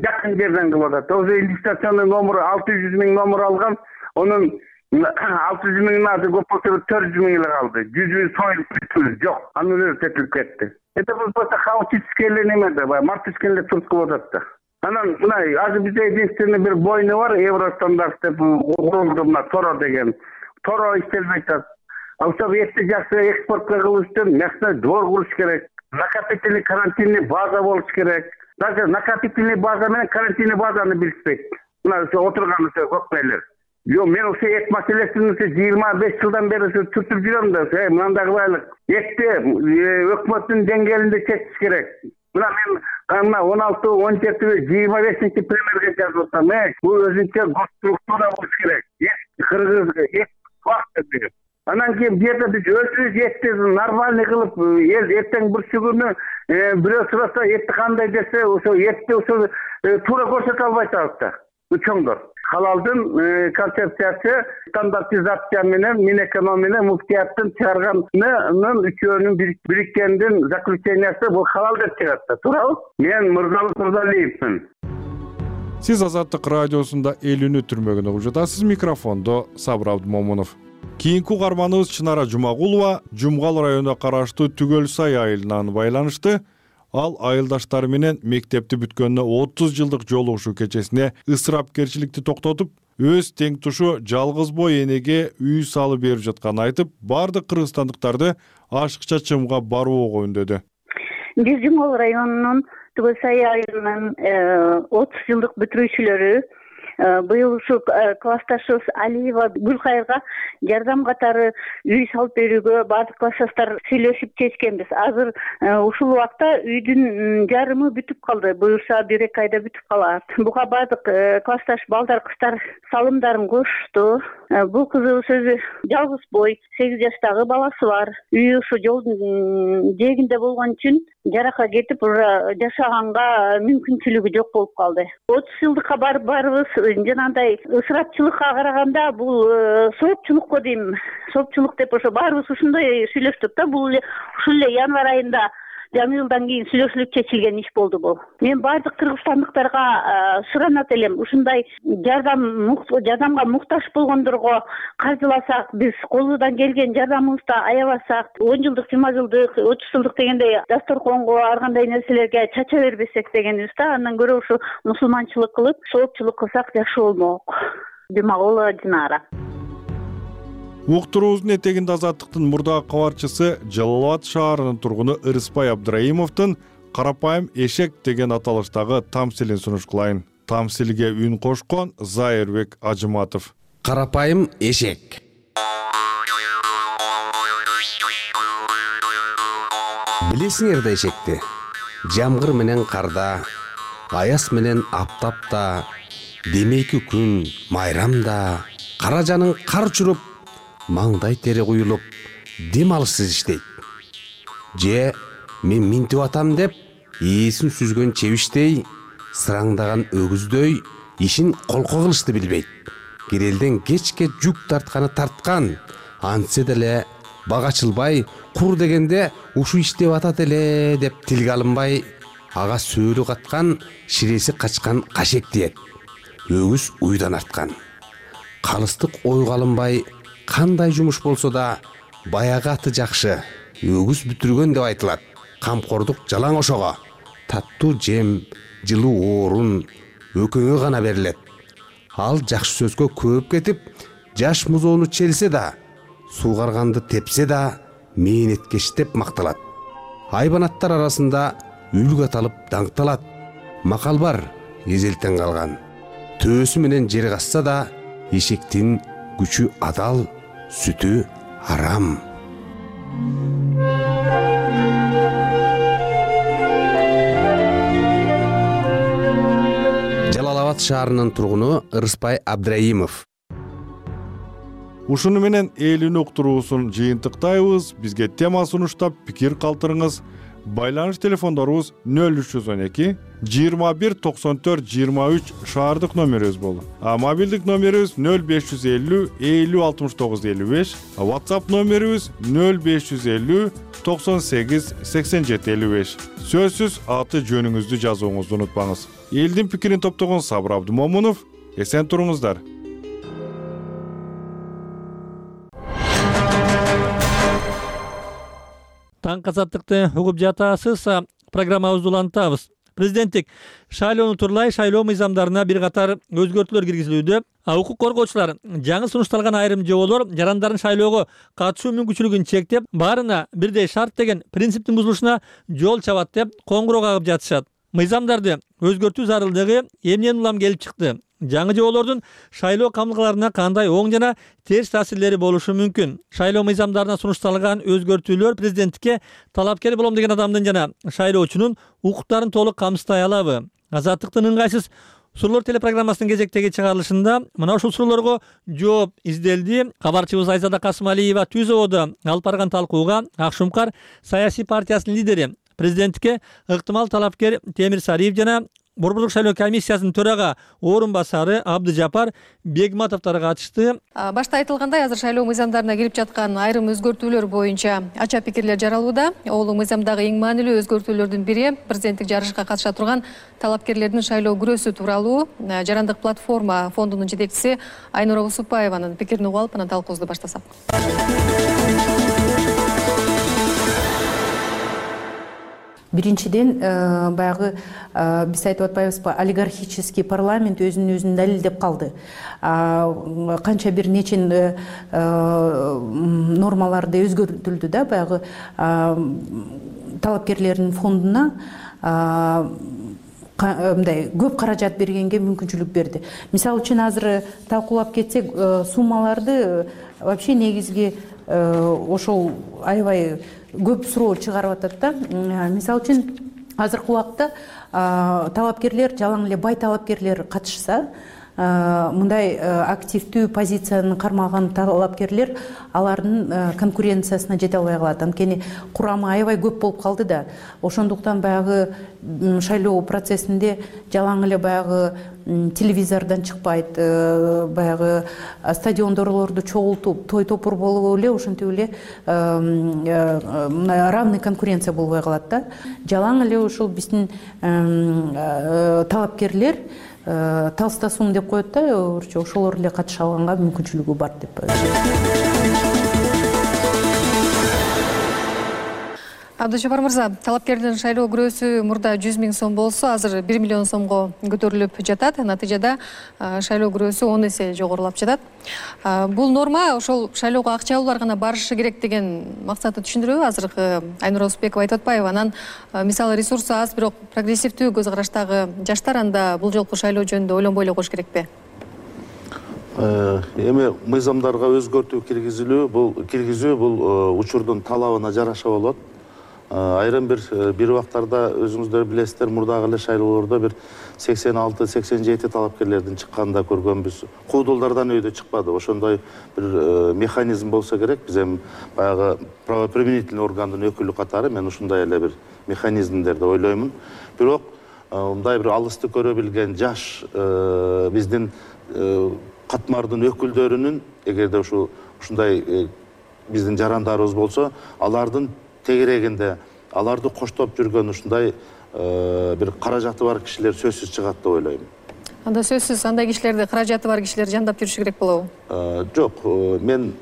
жакын жерден кылып атат. Ошо инвестициянын номуру 600 000 номур алган, онун 600 000 азыр көп болсо 400 000 эле калды. 100 000 союлуп бүттү, жок. Анын өзү тетилип кетти. Это просто хаотический эле неме да, мартышкин эле туртку болуп атат да. Анан мына азыр бизде единственный бир бойны бар, Евростандарт деп курулду, мына Торо деген. Торо иштелбей атат. Ошол этти жакшы экспортко кылыш үчүн мына двор куруш керек. Накопительный карантинный база болуш керек. Даже накопительный база менен карантинный базаны билишпейт. Мына ошо отурган көкмөйлөр. Мен ошо эт маселесин 25 жылдан бери түртүп жүрөм да, мындагы байлык. Этти өкмөттүн деңгээлинде чечиш керек. Мына мен 16-17-25 премьерге жазып атам. Бул өзүнчө госструктура болуш керек. Кыргыз эт вакыт деп. Анан кийин бу жерде биз өзүбүз этти нормальный кылып, эл эртең бурчу күнү бирөө сураса этти кандай десе, ошо этти ошо туура көрсөтө албай атабыз да. Чоңдор. Халалдын концепциясы стандартизация менен Минэконом менен муфтияттын чыгарганын үчөөнүн бириккендин заключениясы бул халал деп чыгат да. Туурабы? Мен Мырзалы Турдалиевмин. Сиз Азаттык радиосунда эл үнү түрмөгүн угуп жатасыз. Микрофондо Сабыр Абдымомунов. Кийинки угарманыбыз Чынара Жумагулова Жумгал районуна караштуу Түгөл Сай айылынан байланышты. Ал айылдаштары менен мектепти бүткөнүнө 30 жылдык жолугушуу кечесине ысырапкерчиликти токтотуп, өз тең тушу жалгыз бой энеге үй салып берип жатканын айтып, бардык кыргызстандыктарды ашыкча чымга барууга үндөдү. Биз Жумгал районунун Түгөл Сай айылынын 30 жылдык бүтүрүүчүлөрү быйыл ушу классташыбыз Алиева Гүлкайырга жардам катары үй салып берүүгө бардык классташтар сүйлөшүп чечкенбиз. Азыр ушул убакта үйдүн жарымы бүтүп калды. Буюрса 1-2 айда бүтүп калат. Буга бардык классташ балдар, кыздар салымдарын кошту. Бул кызыбыз өзү жалгыз бой, 8 жаштагы баласы бар. Үйү ушу жолдун жээгинде болгон үчүн жаракка кетип, жашаганга мүмкүнчүлүгү жок болуп калды. 30 жылдыкка барыбыз жанагындай ысырапчылыкка караганда бул соопчулукко дейм, соопчулук деп ошо баарыбыз ушундай сүйлөштүк да. Бул ушул эле январь айында жаңы жылдан кийин сүйлөшүлүп чечилген иш болду бул. Мен бардык кыргызстандыктарга суранат элем, ушундай жардамга муктаж болгондорго каржыласак, биз колубуздан келген жардамыбызды аябасак, 10 жылдык, 20 жылдык, 30 жылдык дегендей дасторконго ар кандай нерселерге чача бербесек дегенбиз да. Андан көрө ушу мусулманчылык кылып, соопчулук кылсак жакшы болмок. Жумагулова Динара. Уктуруубуздун этегинде Азаттыктын мурдагы кабарчысы Жалал Абад шаарынын тургуну Ырыспай Абдыраимовдун «Карапайым эшек» деген аталыштагы тамсилин сунуш кылайын. Тамсилге үн кошкон Зайырбек Ажыматов. Карапайым эшек. Билесиңер да эшекти? Жамгыр менен карда, аяз менен аптапта, демейки күн майрамда, кара жаның кар чуруп, маңдай тери куюлуп, дем алышсыз иштейт. Же мен минтип атам деп, ээсин сүзгөн чебиштей, сыраңдаган өгүздөй ишин колко кылышты билбейт. Керелден кечке жүк тартканы тарткан, антсе деле бага ачылбай, кур дегенде ушу иштеп атат эле деп тилге алынбай, ага сөөлү каткан, ширеси качкан кашек диет. Өгүз уйдан арткан. Калыстык ойго алынбай, кандай жумуш болсо да баягы аты жакшы, өгүз бүтүргөн деп айтылат. Камкордук жалаң ошого, таттуу жем, жылуу орун өкөңө гана берилет. Ал жакшы сөзгө көп кетип, жаш музоону челсе да, суугарганды тепсе да, мээнеткеш деп макталат. Айбанаттар арасында үлгү аталып даңкталат. Макал бар, эзелтен калган. Төөсү менен жер касса да эшектин күчү адал, сүтү арам. Жалал Абад шаарынын тургуну Ырыспай Абдраимов. Ушуну менен элин уктуруусун жыйынтыктайбыз. Бизге тема сунуштап пикир калтырыңыз. Байланыш телефондорубуз 0312 21 94 23 шаардык номерибиз болду. Мобилдик номерибиз 0550 50 69 55, WhatsApp номерибиз 0550 98 87 55. Сөзсүз аты жөнүңүздү жазууңузду унутпаңыз. Элдин пикирин топтогон Сабыр Абдымомунов, эсен туруңуздар. Таң азаттыкты угуп жатасыз. Программабызды улантабыз. Президенттик шайлоону турлай шайлоо мыйзамдарына бир катар өзгөртүүлөр киргизилүүдө. Укук коргоочулар жаңы сунушталган айрым жоболор жарандардын шайлоого катышуу мүмкүнчүлүгүн чектеп, баарына бирдей шарт деген принциптин бузулушуна жол чабат деп коңгуроо кагып жатышат. Мыйзамдарды өзгөртүү зарылдыгы эмнен улам келип чыкты? Жаңы жоболордун шайлоо камылгаларына кандай оң жана терс таасирлери болушу мүмкүн? Шайлоо мыйзамдарына сунушталган өзгөртүүлөр президенттикке талапкер болом деген адамдын жана шайлоочунун укуктарын толук камсыздай алабы? Азаттыктын ыңгайсыз суроолор телепрограммасынын кезектеги чыгарылышында мына ушул суроолорго жооп изделди. Кабарчыбыз Айзада Касымалиева Түзөбодо алып барган талкууга Ак Шумкар саясий партиясынын лидери, президенттикке ыктымал талапкер Темир Сариев жана Борборлук шайлоо комиссиясынын төрага орун басары Абдыжапар Бегматовдор катышты. Башта айтылгандай, азыр шайлоо мыйзамдарына кирип жаткан айрым өзгөртүүлөр боюнча ача пикирлер жаралууда. Ол мыйзамдагы эң маанилүү өзгөртүүлөрдүн бири президенттик жарышка катыша турган талапкерлердин шайлоо күрөөсү тууралуу. Жарандык платформа фондунун жетекчиси Айнура Усупаеванын пикирин угуп алып, анан талкуубузду баштасак. Биринчиден, баягы биз айтып атпайбызбы, олигархический парламент өзүн далилдеп калды. Канча бир нечен нормаларды өзгөртүлдү да, баягы талапкерлердин фондуна мындай көп каражат бергенге мүмкүнчүлүк берди. Мисалы үчүн азыр талкуулап кетсек, суммаларды вообще негизги ошол аябай көп суроо чыгарып атат да. Мисалы үчүн азыркы убакта талапкерлер, жалаң эле бай талапкерлер катышса, мындай активдүү позицияны кармаган талапкерлер алардын конкуренциясына жете албай калат. Анткени курамы аябай көп болуп калды да. Ошондуктан баягы шайлоо процессинде жалаң эле баягы телевизордон чыкпайт, баягы стадиондорлорду чогултуп, той топур болуп эле, ошентип эле равный конкуренция болбой калат да. Жалаң эле ушул биздин талапкерлер талстасум деп коет да, ошолор эле катыша алганга мүмкүнчүлүгү бар деп. Абдыжапар мырза, талапкердин шайлоо күрөөсү мурда 100 000 сом болсо, азыр 1 миллион сомго көтөрүлүп жатат. Натыйжада шайлоо күрөөсү 10 эсе жогорулап жатат. Бул норма ошол шайлоого акчалуулар гана барышы керек деген максатты түшүндүрөбү? Азыркы Айнура Усупбекова айтып атпайбы? Анан мисалы ресурсу аз, бирок прогрессивдүү көз караштагы жаштар анда бул жолку шайлоо жөнүндө ойлонбой эле коюш керекпи? Эми мыйзамдарга өзгөртүү киргизүү бул учурдун талабына жараша болот. Айрым бир убактарда өзүңүздөр билесиздер, мурдагы эле шайлоолордо бир 86-87 талапкерлердин чыкканын да көргөнбүз. Куудулдардан өйдө чыкпады. Ошондой бир механизм болсо керек. Биз эми баягы правоприменительный органдын өкүлү катары мен ушундай эле бир механизмдерди ойлоймун. Бирок мындай бир алысты көрө билген жаш биздин катмардын өкүлдөрүнүн, эгерде ушундай биздин жарандарыбыз болсо, алардын тегерегинде аларды коштоп жүргөн ушундай бир каражаты бар кишилер сөзсүз чыгат деп ойлойм. Анда сөзсүз андай кишилерди, каражаты бар кишилер жандап жүрүшү керек болобу? Жок, мен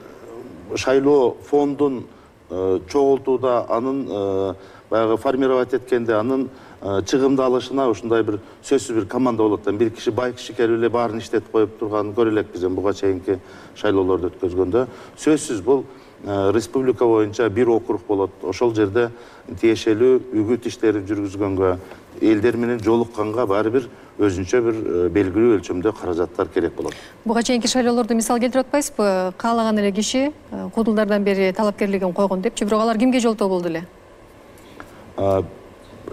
шайлоо фондун чогултууда, анын баягы формировать эткенде, анын чыгымдалышына ушундай бир сөзсүз бир команда болот да. Бир киши, бай киши келип эле баарын иштетип коюп турганын көрө элекпиз буга чейинки шайлоолорду өткөзгөндө. Сөзсүз бул республика боюнча бир округ болот. Ошол жерде тиешелүү үгүт иштерин жүргүзгөнгө, элдер менен жолукканга баары бир өзүнчө бир белгилүү өлчөмдө каражаттар керек болот. Буга чейинки шайлоолорду мисал келтирип атпайсызбы? Каалаган эле киши куудулдардан бери талапкерлигин койгон депчи, бирок алар кимге жолтоо болду эле?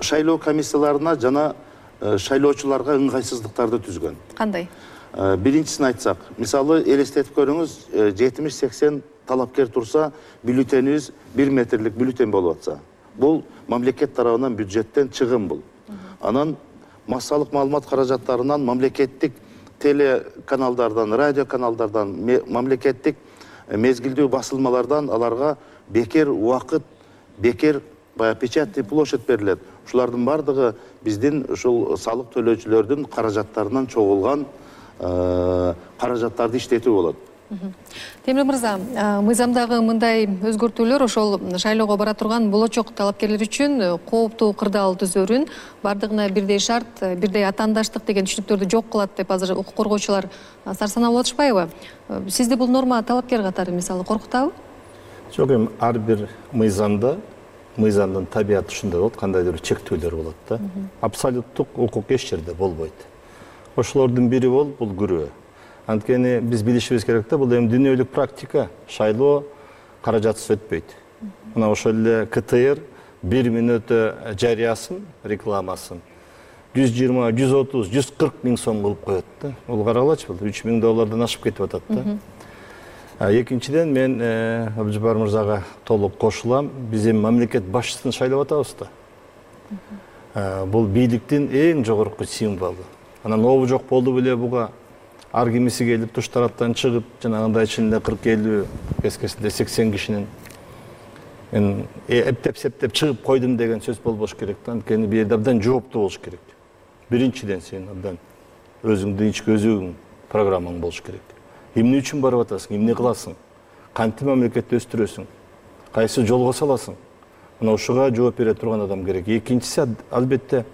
Шайлоо комиссияларына жана шайлоочуларга ыңгайсыздыктарды түзгөн. Кандай? Биринчисин айтсак, мисалы элестетип көрүңүз, 70-80 талапкер турса, бюллетенибиз 1 метрлик бюллетен болуп атса. Бул мамлекет тарабынан бюджеттен чыгым бул. Анан массалык маалымат каражаттарынан мамлекеттик телеканалдардан, радио каналдардан, мамлекеттик мезгилдүү басылмалардан аларга бекер убакыт, бекер печатный площадь берилет. Ушулардын бардыгы биздин ушул салык төлөөчүлөрдүн каражаттарынан чогулган каражаттарды иштетүү болот. Темир мырза, мыйзамдагы мындай өзгөртүүлөр ошол шайлоого бара турган болочок талапкерлер үчүн кооптуу кырдаал түзөрүн, бардыгына бирдей шарт, бирдей атаандаштык деген түшүнүктөрдү жок кылат деп азыр укук коргоочулар сарсанаа болуп атышпайбы? Сизди бул норма талапкер катары мисалы коркутабы? Жок, ар бир мыйзамдын табияты ушундай болот, кандайдыр чектөөлөр болот да. Абсолюттук укук эч жерде болбойт. Ошолордун бири бул күрөө. Анткени биз билишибиз керек да, бул эми дүйнөлүк практика, шайлоо каражатсыз өтпөйт. Мына ошол эле КТР 1 мүнөттө жарыясын, рекламасын $120, $130, $140 миң сом кылып коет да. Бул каралачы, бул $3.000 ашып кетип атат да. Экинчиден мен Абдыжапар мырзага толук кошулам. Биз эми мамлекет башчысын шайлап атабыз да. Бул бийликтин эң жогорку символу. Анан обу жок болду беле буга ар кимиси келип туш тараптан чыгып, жанагындай ичинде 40-50, кескесинде 80 кишинин мен эптеп-септеп чыгып койдум деген сөз болбош керек да. Анткени бул жерде абдан жооптуу болуш керек. Биринчиден сен абдан өзүңдүн ички өзүң программаң болуш керек. Эмне үчүн барып атасың, эмне кыласың, кантип мамлекетти өстүрөсүң, кайсы жолго саласың? Мына ушуга жооп бере турган адам керек. Экинчиси албетте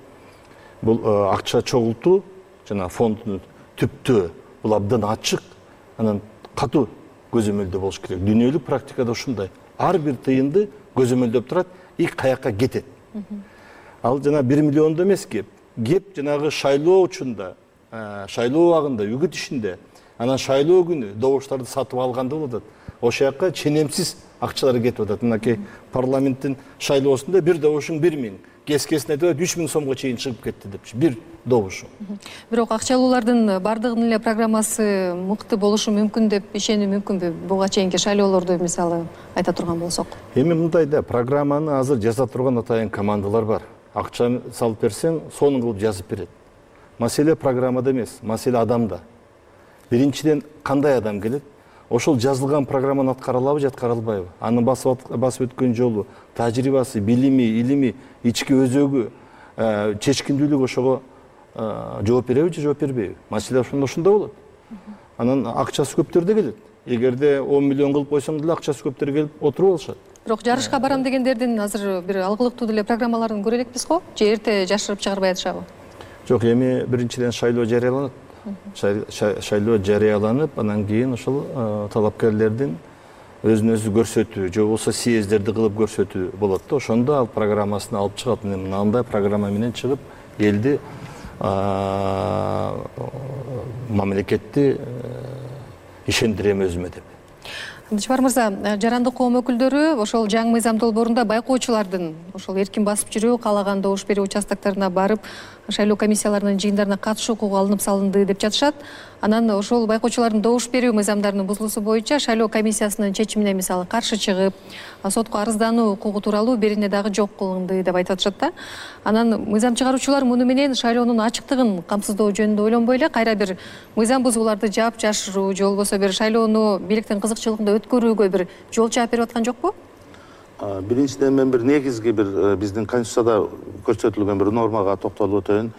бул акча чогултуу жана фонддун түптөө бул абдан ачык, анан катуу көзөмөлдөө болуш керек. Дүйнөлүк практикада ушундай. Ар бир тыйынды көзөмөлдөп турат, каяка кетет. Ал жана 1 миллиондо эмес кеп жанагы шайлоо учунда, шайлоо убагында, үгүт ишинде, анан шайлоо күнү добуштарды сатып алганда болот. Ошол жака ченемсиз акчалар кетип атат. Мынакей парламенттин шайлоосунда бир добушуң 1 миң, кескесин айтып 3 миң сомго чейин чыгып кетти депчи. Бир добушу. Бирок акчалуулардын бардыгынын эле программасы мыкты болушу мүмкүн деп ишенүү мүмкүнбү? Буга чейинки шайлоолорду мисалы айта турган болсок. Эми мындай да, программаны азыр жаза турган атайын командалар бар. Акча салып берсең, сонун кылып жазып берет. Маселе программада эмес, маселе адамда. Биринчиден кандай адам келет? Ошол жазылган программаны аткара алабы, аткара албайбы? Анын басып өткөн жолу, тажрыйбасы, билими, илими, ички өзөгү, чечкиндүүлүгү ошого жооп береби же жооп бербейби? Маселе ошондо болот. Анан акчасы көптөр да келет. Эгерде 10 миллион кылып койсоң деле акчасы көптөр келип отуруп алышат. Бирок жарышка барам дегендердин азыр бир алгылыктуу деле программаларын көрө элекпиз го? Же эрте жашырып чыгарбай атышабы? Жок, эми биринчиден шайлоо жарыяланат. Шайлоо жарыяланып, анан кийин ошол талапкерлердин өзүн өзү көрсөтүү же болбосо съездерди кылып көрсөтүү болот да. Ошондо ал программасын алып чыгат. Мындай программа менен чыгып, элди мамлекетти ишендирем өзүмө деп. Абдыжапар мырза, жарандык коом өкүлдөрү ошол жаңы мыйзам долбоорунда байкоочулардын ошол эркин басып жүрүү, каалаган добуш берүү участокторуна барып, шайлоо комиссияларынын жыйындарына катышуу укугу алынып салынды деп жатышат. Анан ошол байкоочулардын добуш берүү мыйзамдарынын бузулуусу боюнча шайлоо комиссиясынын чечимине мисалы каршы чыгып, сотко арыздануу укугу тууралуу берине дагы жок кылынды деп айтып атышат да. Анан мыйзам чыгаруучулар муну менен шайлоонун ачыктыгын камсыздоо жөнүндө ойлонбой эле кайра бир мыйзам бузууларды жаап жашыруу же болбосо бир шайлоону бийликтин кызыкчылыгында өткөрүүгө бир жол чаап берип аткан жокпу? Биринчиден мен бир негизги бир биздин конституцияда көрсөтүлгөн бир нормага токтолуп өтөйүн.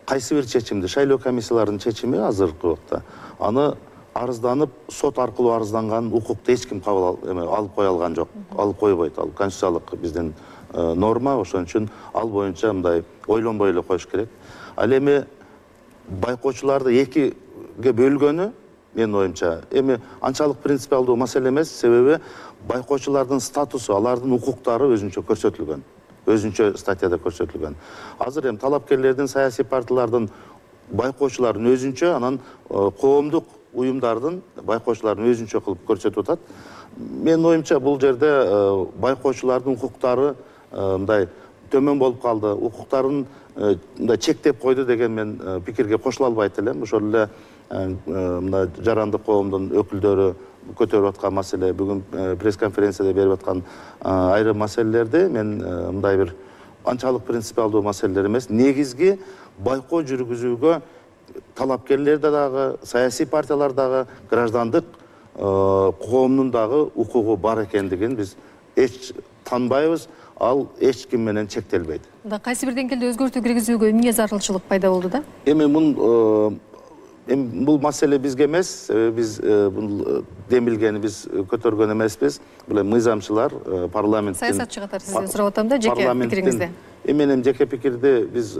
Кайсы бир чечимди, шайлоо комиссияларынын чечими азыркы убакта, аны арызданып, сот аркылуу арызданган укукту эч ким алып кое алган жок, алып койбойт. Ал конституциялык биздин норма, ошон үчүн ал боюнча мындай ойлонбой эле коюш керек. Ал эми байкоочуларды экиге бөлгөнү менин оюмча эми анчалык принципиалдуу маселе эмес, себеби байкоочулардын статусу, алардын укуктары өзүнчө көрсөтүлгөн. өзүнчө статьяда көрсөтүлгөн. Азыр эми талапкерлердин, саясий партиялардын, байкоочулардын өзүнчө, анан коомдук уюмдардын байкоочуларын өзүнчө кылып көрсөтүп атат. Менин оюмча бул жерде байкоочулардын укуктары мындай төмөн болуп калды, укуктарын мындай чектеп койду деген мен пикирге кошула албайт элем. Ошол эле мына жарандык коомдун өкүлдөрү көтөрүп аткан маселе, бүгүн пресс-конференцияда берип аткан айрым маселелерди мен мындай бир анчалык принципиалдуу маселелер эмес, негизги байкоо жүргүзүүгө талапкерлерде дагы, саясий партиялар дагы, граждандык коомдун дагы укугу бар экендигин биз эч танбайбыз, ал эч ким менен чектелбейт. Кайсы бир деңгээлде өзгөртүү киргизүүгө эмне зарылчылык пайда болду да? Бул маселе бизге эмес, биз бул демилгени биз көтөргөн эмеспиз. Бул мыйзамчылар, парламенттин, саясатчы катары сизден сурап атам да, жеке пикириңизди. Менин жеке пикирди биз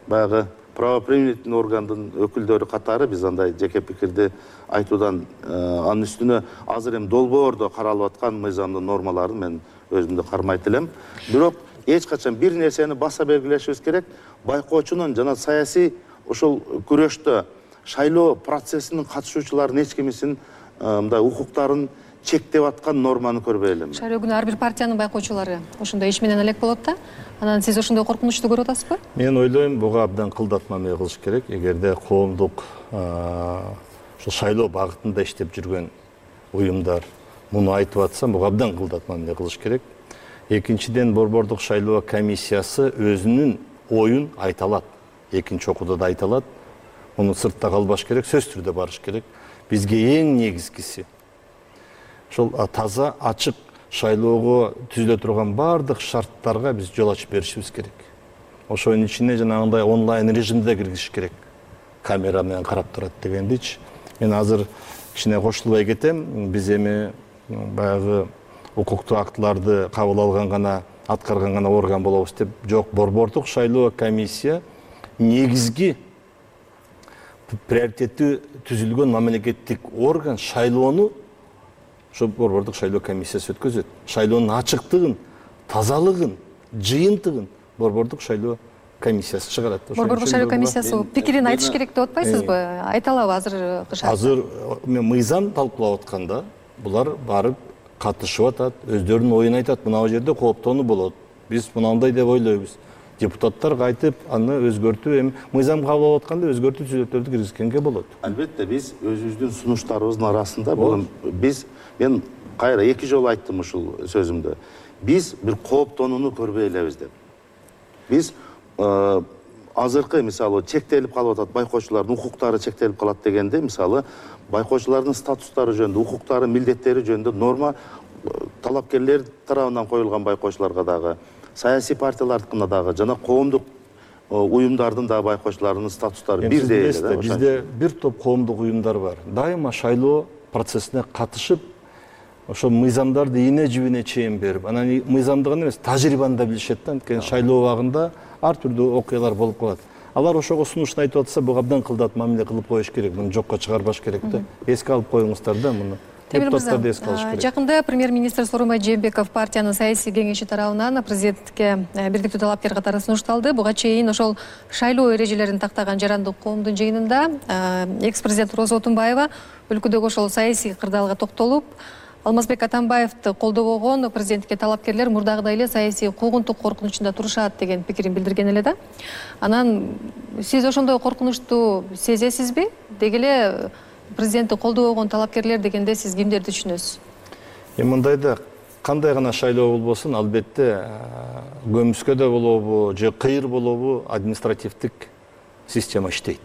баягы правоприменительный органдын өкүлдөрү катары биз андай жеке пикирди айтуудан, анын үстүнө азыр эми долбоордо каралып аткан мыйзамдын нормаларын мен өзүмдө кармайт элем. Бирок эч качан бир нерсени баса белгилешибиз керек. Байкоочунун жана саясий ошол күрөштө шайлоо процессинин катышуучуларынын эч кимисин мындай укуктарын чектеп аткан норманы көрбөй элем. Шайлоо күнү ар бир партиянын байкоочулары ошондой иш менен элек болот да. Анан сиз ошондой коркунучту көрүп атасызбы? Мен ойлойм, буга абдан кылдат мамиле кылыш керек. Эгерде коомдук ошо шайлоо багытында иштеп жүргөн уюмдар муну айтып атса, буга абдан кылдат мамиле кылыш керек. Экинчиден, борбордук шайлоо комиссиясы өзүнүн оюн айта алат. Экинчи окууда да айта алат. Муну сыртта калбаш керек, сөзсүз түрдө барыш керек. Бизге эң негизгиси ошол таза, ачык шайлоого түзүлө турган бардык шарттарга биз жол ачып беришибиз керек. Ошонун ичине жанагындай онлайн режимде киргизиш керек. Камера менен карап турат дегендичи. Мен азыр кичине кошулбай кетем. Биз эми баягы укуктуу актыларды кабыл алган гана, аткарган гана орган болобуз деп, жок, борбордук шайлоо комиссия негизги приоритеттүү түзүлгөн мамлекеттик орган. Шайлоону ошо борбордук шайлоо комиссиясы өткөзөт. Шайлоонун ачыктыгын, тазалыгын, жыйынтыгын борбордук шайлоо комиссиясы чыгарат. Борбордук шайлоо комиссиясы пикирин айтыш керек деп атпайсызбы? Айта алабы азыр? Азыр мыйзам талкуулап атканда булар барып катышып атат, өздөрүнүн оюн айтат. Мына жерде кооптонуу болот. Биз мынандай деп ойлойбуз. Депутаттар кайтып аны өзгөртүү, эми мыйзам кабыл алып атканда өзгөртүү түзөтүүлөрдү киргизгенге болот. Албетте биз өзүбүздүн сунуштарыбыздын арасында мен кайра 2 жолу айттым ушул сөзүмдө. Биз бир кооптонууну көрбөй элебиз деп. Биз азыркы мисалы чектелип калып атат, байкоочулардын укуктары чектелип калат дегенде, мисалы байкоочулардын статустары жөнүндө, укуктары, милдеттери жөнүндө норма талапкерлер тарабынан коюлган байкоочуларга дагы, саясий партиялардыкына дагы жана коомдук уюмдардын да байкоочуларынын статустары бирдей эле. Бизде бир топ коомдук уюмдар бар. Дайыма шайлоо процессине катышып, ошо мыйзамдарды ийне жибине чейин берип, анан мыйзамды гана эмес, тажрыйбаны да билишет да. Анткени шайлоо убагында ар түрдүү окуялар болуп калат. Алар ошого сунушту айтып атса, буга абдан кылдат мамиле кылып коюш керек, муну жокко чыгарбаш керек да. Эске алып коюңуздар да муну. Депутаттар да эске алыш керек. Жакында премьер-министр Сооронбай Жээнбеков партиянын саясий кеңеши тарабынан президентке бирдиктүү талапкер катары сунушталды. Буга чейин ошол шайлоо эрежелерин тактаган жарандык коомдун жыйынында экс-президент Роза Отунбаева өлкөдөгү ошол саясий кырдаалга токтолуп, Алмазбек Атамбаевди колдобогон президентке талапкерлер мурдагыдай эле саясий куугунтук коркунучунда турушат деген пикирин билдирген эле да. Анан сиз ошондой коркунучту сезесизби? Деги эле президентти колдобогон талапкерлер дегенде сиз кимдерди түшүнөсүз? Мындайда кандай гана шайлоо болбосун, албетте көмүскөдө болобу же кыйыр болобу административдик система иштейт.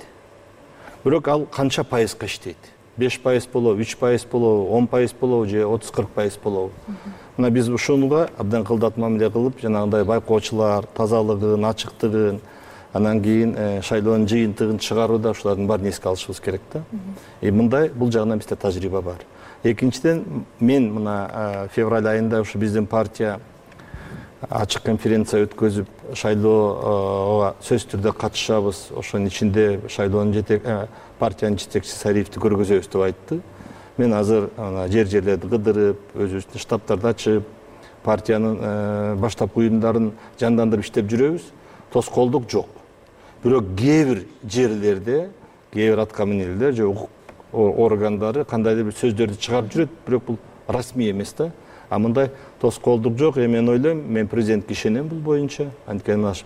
Бирок ал канча пайызга иштейт? 5% болобу, 3% болобу, 10% болобу же 30-40% болобу? Мына биз ушунга абдан кылдат мамиле кылып, жанагындай байкоочулар тазалыгын, ачыктыгын, анан кийин шайлоонун жыйынтыгын чыгарууда ушулардын баарын эске алышыбыз керек да. Мындай бул жагынан бизде тажрыйба бар. Экинчиден, мен мына февраль айында ушу биздин партия ачык конференция өткөзүп, шайлоого сөзсүз түрдө катышабыз, ошонун ичинде шайлоонун партиянын жетекчиси Сариевди көргөзөбүз деп айтты. Мен азыр жерлерди кыдырып, өзүбүздүн штабтарды ачып, партиянын баштапкы уюмдарын жандандырып иштеп жүрөбүз. Тоскоолдук жок. Бирок кээ бир жерлерде, кээ бир аткаминерлер же укук органдары кандайдыр бир сөздөрдү чыгарып жүрөт, бирок бул расмий эмес да. А мындай тоскоолдук жок. Мен ойлойм, мен президентке ишенем бул боюнча. Анткени наш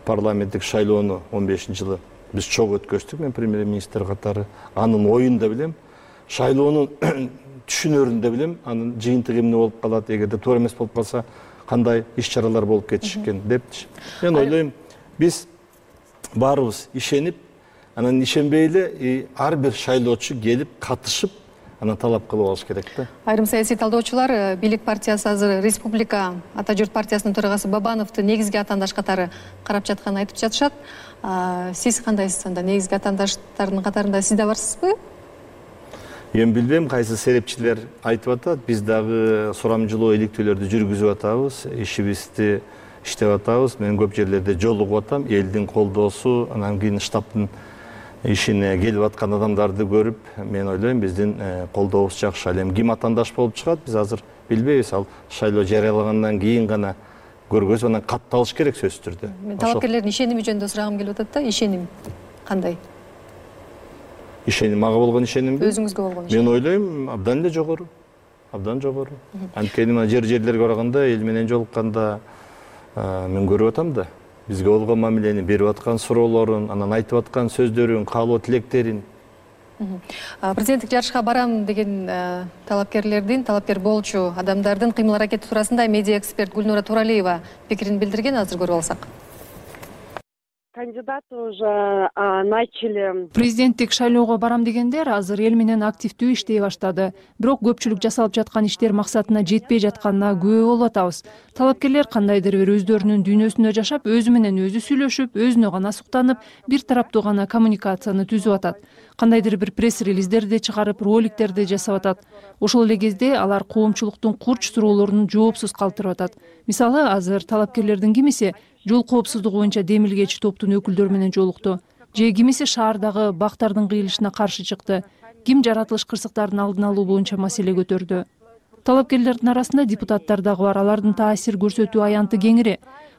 парламенттик шайлоону 15-жылы биз чогуу өткөздүк, мен премьер-министр катары. Анын оюн да билем, шайлоонун түшүнөрүн да билем, анын жыйынтыгы эмне болуп калат, эгерде туура эмес болуп калса кандай иш-чаралар болуп кетишкен депчи. Мен ойлойм, биз баарыбыз ишенип, анан ишенбей эле ар бир шайлоочу келип катышып, анан талап кылып алыш керек да. Айрым саясий талдоочулар бийлик партиясы азыр Республика Ата журт партиясынын төрагасы Бабановду негизги атаандаш катары карап жатканын айтып жатышат. Сиз кандайсыз анда? Негизги атаандаштардын катарында сиз да барсызбы? Эми билбейм кайсы серепчилер айтып атат. Биз дагы сурамжылоо иликтөөлөрдү жүргүзүп атабыз, ишибизди иштеп атабыз. Мен көп жерлерде жолугуп атам, элдин колдоосу, анан кийин штабтын ишине келип аткан адамдарды көрүп, мен ойлойм биздин колдообуз жакшы. Ал эми ким атаандаш болуп чыгат, биз азыр билбейбиз. Ал шайлоо жарыялагандан кийин гана көргөзүп, анан катталыш керек сөзсүз түрдө. Мен талапкерлердин ишеними жөнүндө сурагым келип атат да, ишеним кандай? Ишеним, мага болгон ишенимби? Өзүңүзгө болгон ишеним. Мен ойлойм, абдан эле жогору. Абдан жогору. Анткени мына жерлерге барганда, эл менен жолукканда мен көрүп атам да. Бизге болгон мамилени берип аткан суроолорун, анан айтып аткан сөздөрүн, каалоо тилектерин. Президенттик жарышка барам деген талапкер болчу адамдардын кыймыл аракети туурасында медиа эксперт Гүлнура Туралиева пикирин билдирген, азыр көрүп алсак. Кандидаты уже начали. Президенттик шайлоого барам дегендер азыр эл менен активдүү иштей баштады. Бирок көпчүлүк жасалып жаткан иштер максатына жетпей жатканына күбө болуп атабыз. Талапкерлер кандайдыр бир өздөрүнүн дүйнөсүндө жашап, өзү менен өзү сүйлөшүп, өзүнө гана суктанып, бир тараптуу гана коммуникацияны түзүп атат. Кандайдыр бир пресс-релиздерди чыгарып, роликтерди жасап атат. Ошол эле кезде алар коомчулуктун курч суроолорун жоопсуз калтырып атат. Мисалы, азыр талапкерлердин кимиси жол коопсуздугу боюнча демилгеч топтун өкүлдөрү менен жолукту. Же кимиси шаардагы бактардын кыйылышына каршы чыкты. Ким жаратылыш кырсыктарын алдын алуу боюнча маселе көтөрдү. Талапкерлердин арасында депутаттар дагы бар. Алардын таасир көрсөтүү аянты кеңири.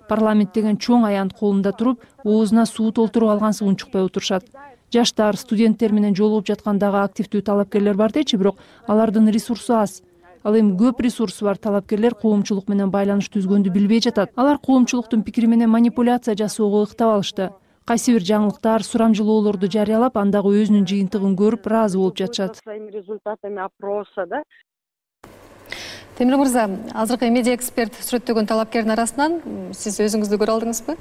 Парламент деген чоң аянт колунда туруп, оозуна суу толтуруп алгансыз унчукпай отурушат. Жаштар, студенттер менен жолугуп жаткан дагы активдүү талапкерлер бар дечи, бирок алардын ресурсу аз. Ал эми көп ресурсу бар талапкерлер коомчулук менен байланыш түзгөндү билбей жатат. Алар коомчулуктун пикири менен манипуляция жасоого ыктап алышты. Кайсы бир жаңылыктар, сурамжылоолорду жарыялап, андагы өзүнүн жыйынтыгын көрүп, ыраазы болуп жатышат. Своими результатами опроса, да? Темир мырза, азыркы медиа эксперт сүрөттөгөн талапкердин арасынан сиз өзүңүздү көрө алдыңызбы?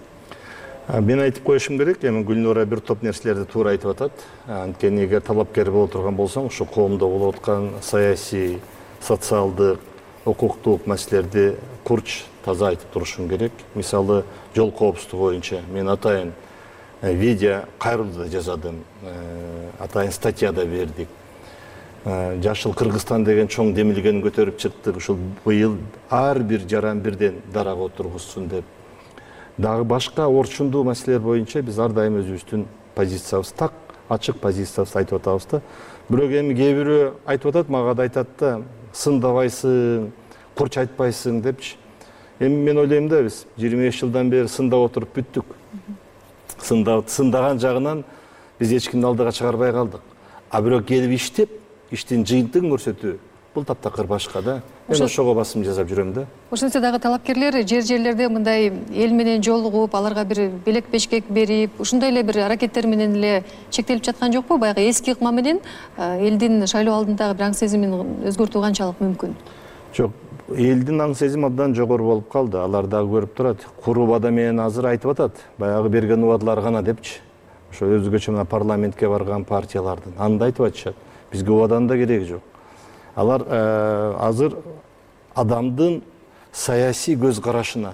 Мен айтып коюшум керек, эми Гүлнура бир топ нерселерди туура айтып атат. Анткени эгер талапкер боло турган болсоң, ушу коомдо болуп аткан саясий, социалдык, укуктук маселелерди курч, таза айтып турушуң керек. Мисалы, жол коопсуздугу боюнча мен атайын видео кайрылуу да жазадым, атайын статья да бердик. Жашыл Кыргызстан деген чоң демилгени көтөрүп чыктык. Ушул быйыл ар бир жаран бирден дарага отургузсун деп. Дагы башка орчундуу маселелер боюнча биз ар дайым өзүбүздүн позициябызды, так ачык позициябызды айтып атабыз да. Бирок эми кээ бирөө айтып атат, мага да айтат да, сындабайсың, курч айтпайсың депчи. Эми мен ойлойм да, биз 25 жылдан бери сындап отуруп бүттүк. Сындаган жагынан биз эч кимди алдыга чыгарбай калдык. А бирок келип иштеп, иштин жыйынтыгын көрсөтүү бул таптакыр башка да. Мен ошого басым жасап жүрөм да. Ошентсе дагы талапкерлер жерлерде мындай эл менен жолугуп, аларга бир белек бешкек берип, ушундай эле бир аракеттер менен эле чектелип жаткан жокпу? Баягы эски ыкма менен элдин шайлоо алдындагы бир аң сезимин өзгөртүү канчалык мүмкүн? Жок, элдин аң сезими абдан жогору болуп калды. Алар дагы көрүп турат. Куру убада менен азыр айтып атат. Баягы берген убадалар гана депчи. Ошо өзгөчө мына парламентке барган партиялардын анда айтып атышат. Бизге убаданын да кереги жок. Алар азыр адамдын саясий көз карашына,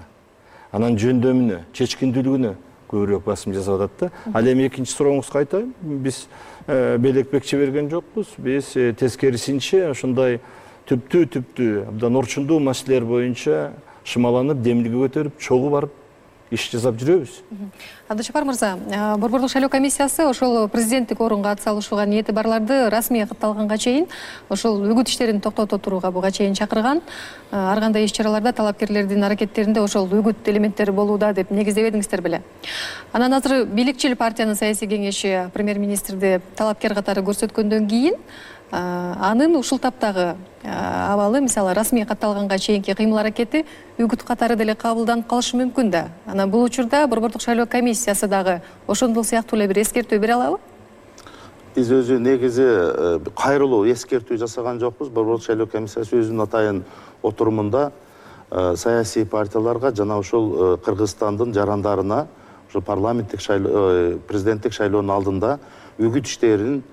анан жөндөмүнө, чечкиндүүлүгүнө көбүрөөк басым жасап атат да. Ал эми экинчи сурооңузга айтайын, биз белекбекче берген жокпуз. Биз тескерисинче ушундай түптүү абдан орчундуу маселелер боюнча шымаланып, демилге көтөрүп, чогуу барып иш жасап жүрөбүз. Абдыжапар мырза, Борбордук шайлоо комиссиясы ошол президенттик орунга ат салышууга ниети барларды расмий катталганга чейин ошол үгүт иштерин токтото турууга буга чейин чакырган. Ар кандай иш чараларда талапкерлердин аракеттеринде ошол үгүт элементтери болууда деп негиздебедиңиздер беле. Анан азыр бийликчил партиянын саясий кеңеши премьер-министрди талапкер катары көрсөткөндөн кийин анын ушул таптагы абалы, мисалы расмий катталганга чейинки кыймыл аракети үгүт катары деле кабылданып калышы мүмкүн да. Анан бул учурда Борбордук шайлоо комиссиясы дагы ошондол сыяктуу эле бир эскертүү бере алабы? Биз өзү негизи кайрылуу эскертүү жасаган жокпуз. Борбордук шайлоо комиссиясы өзүнүн атайын отурумунда саясий партияларга жана ошол Кыргызстандын жарандарына ошо парламенттик шайлоо, президенттик шайлоонун алдында үгүт иштеринен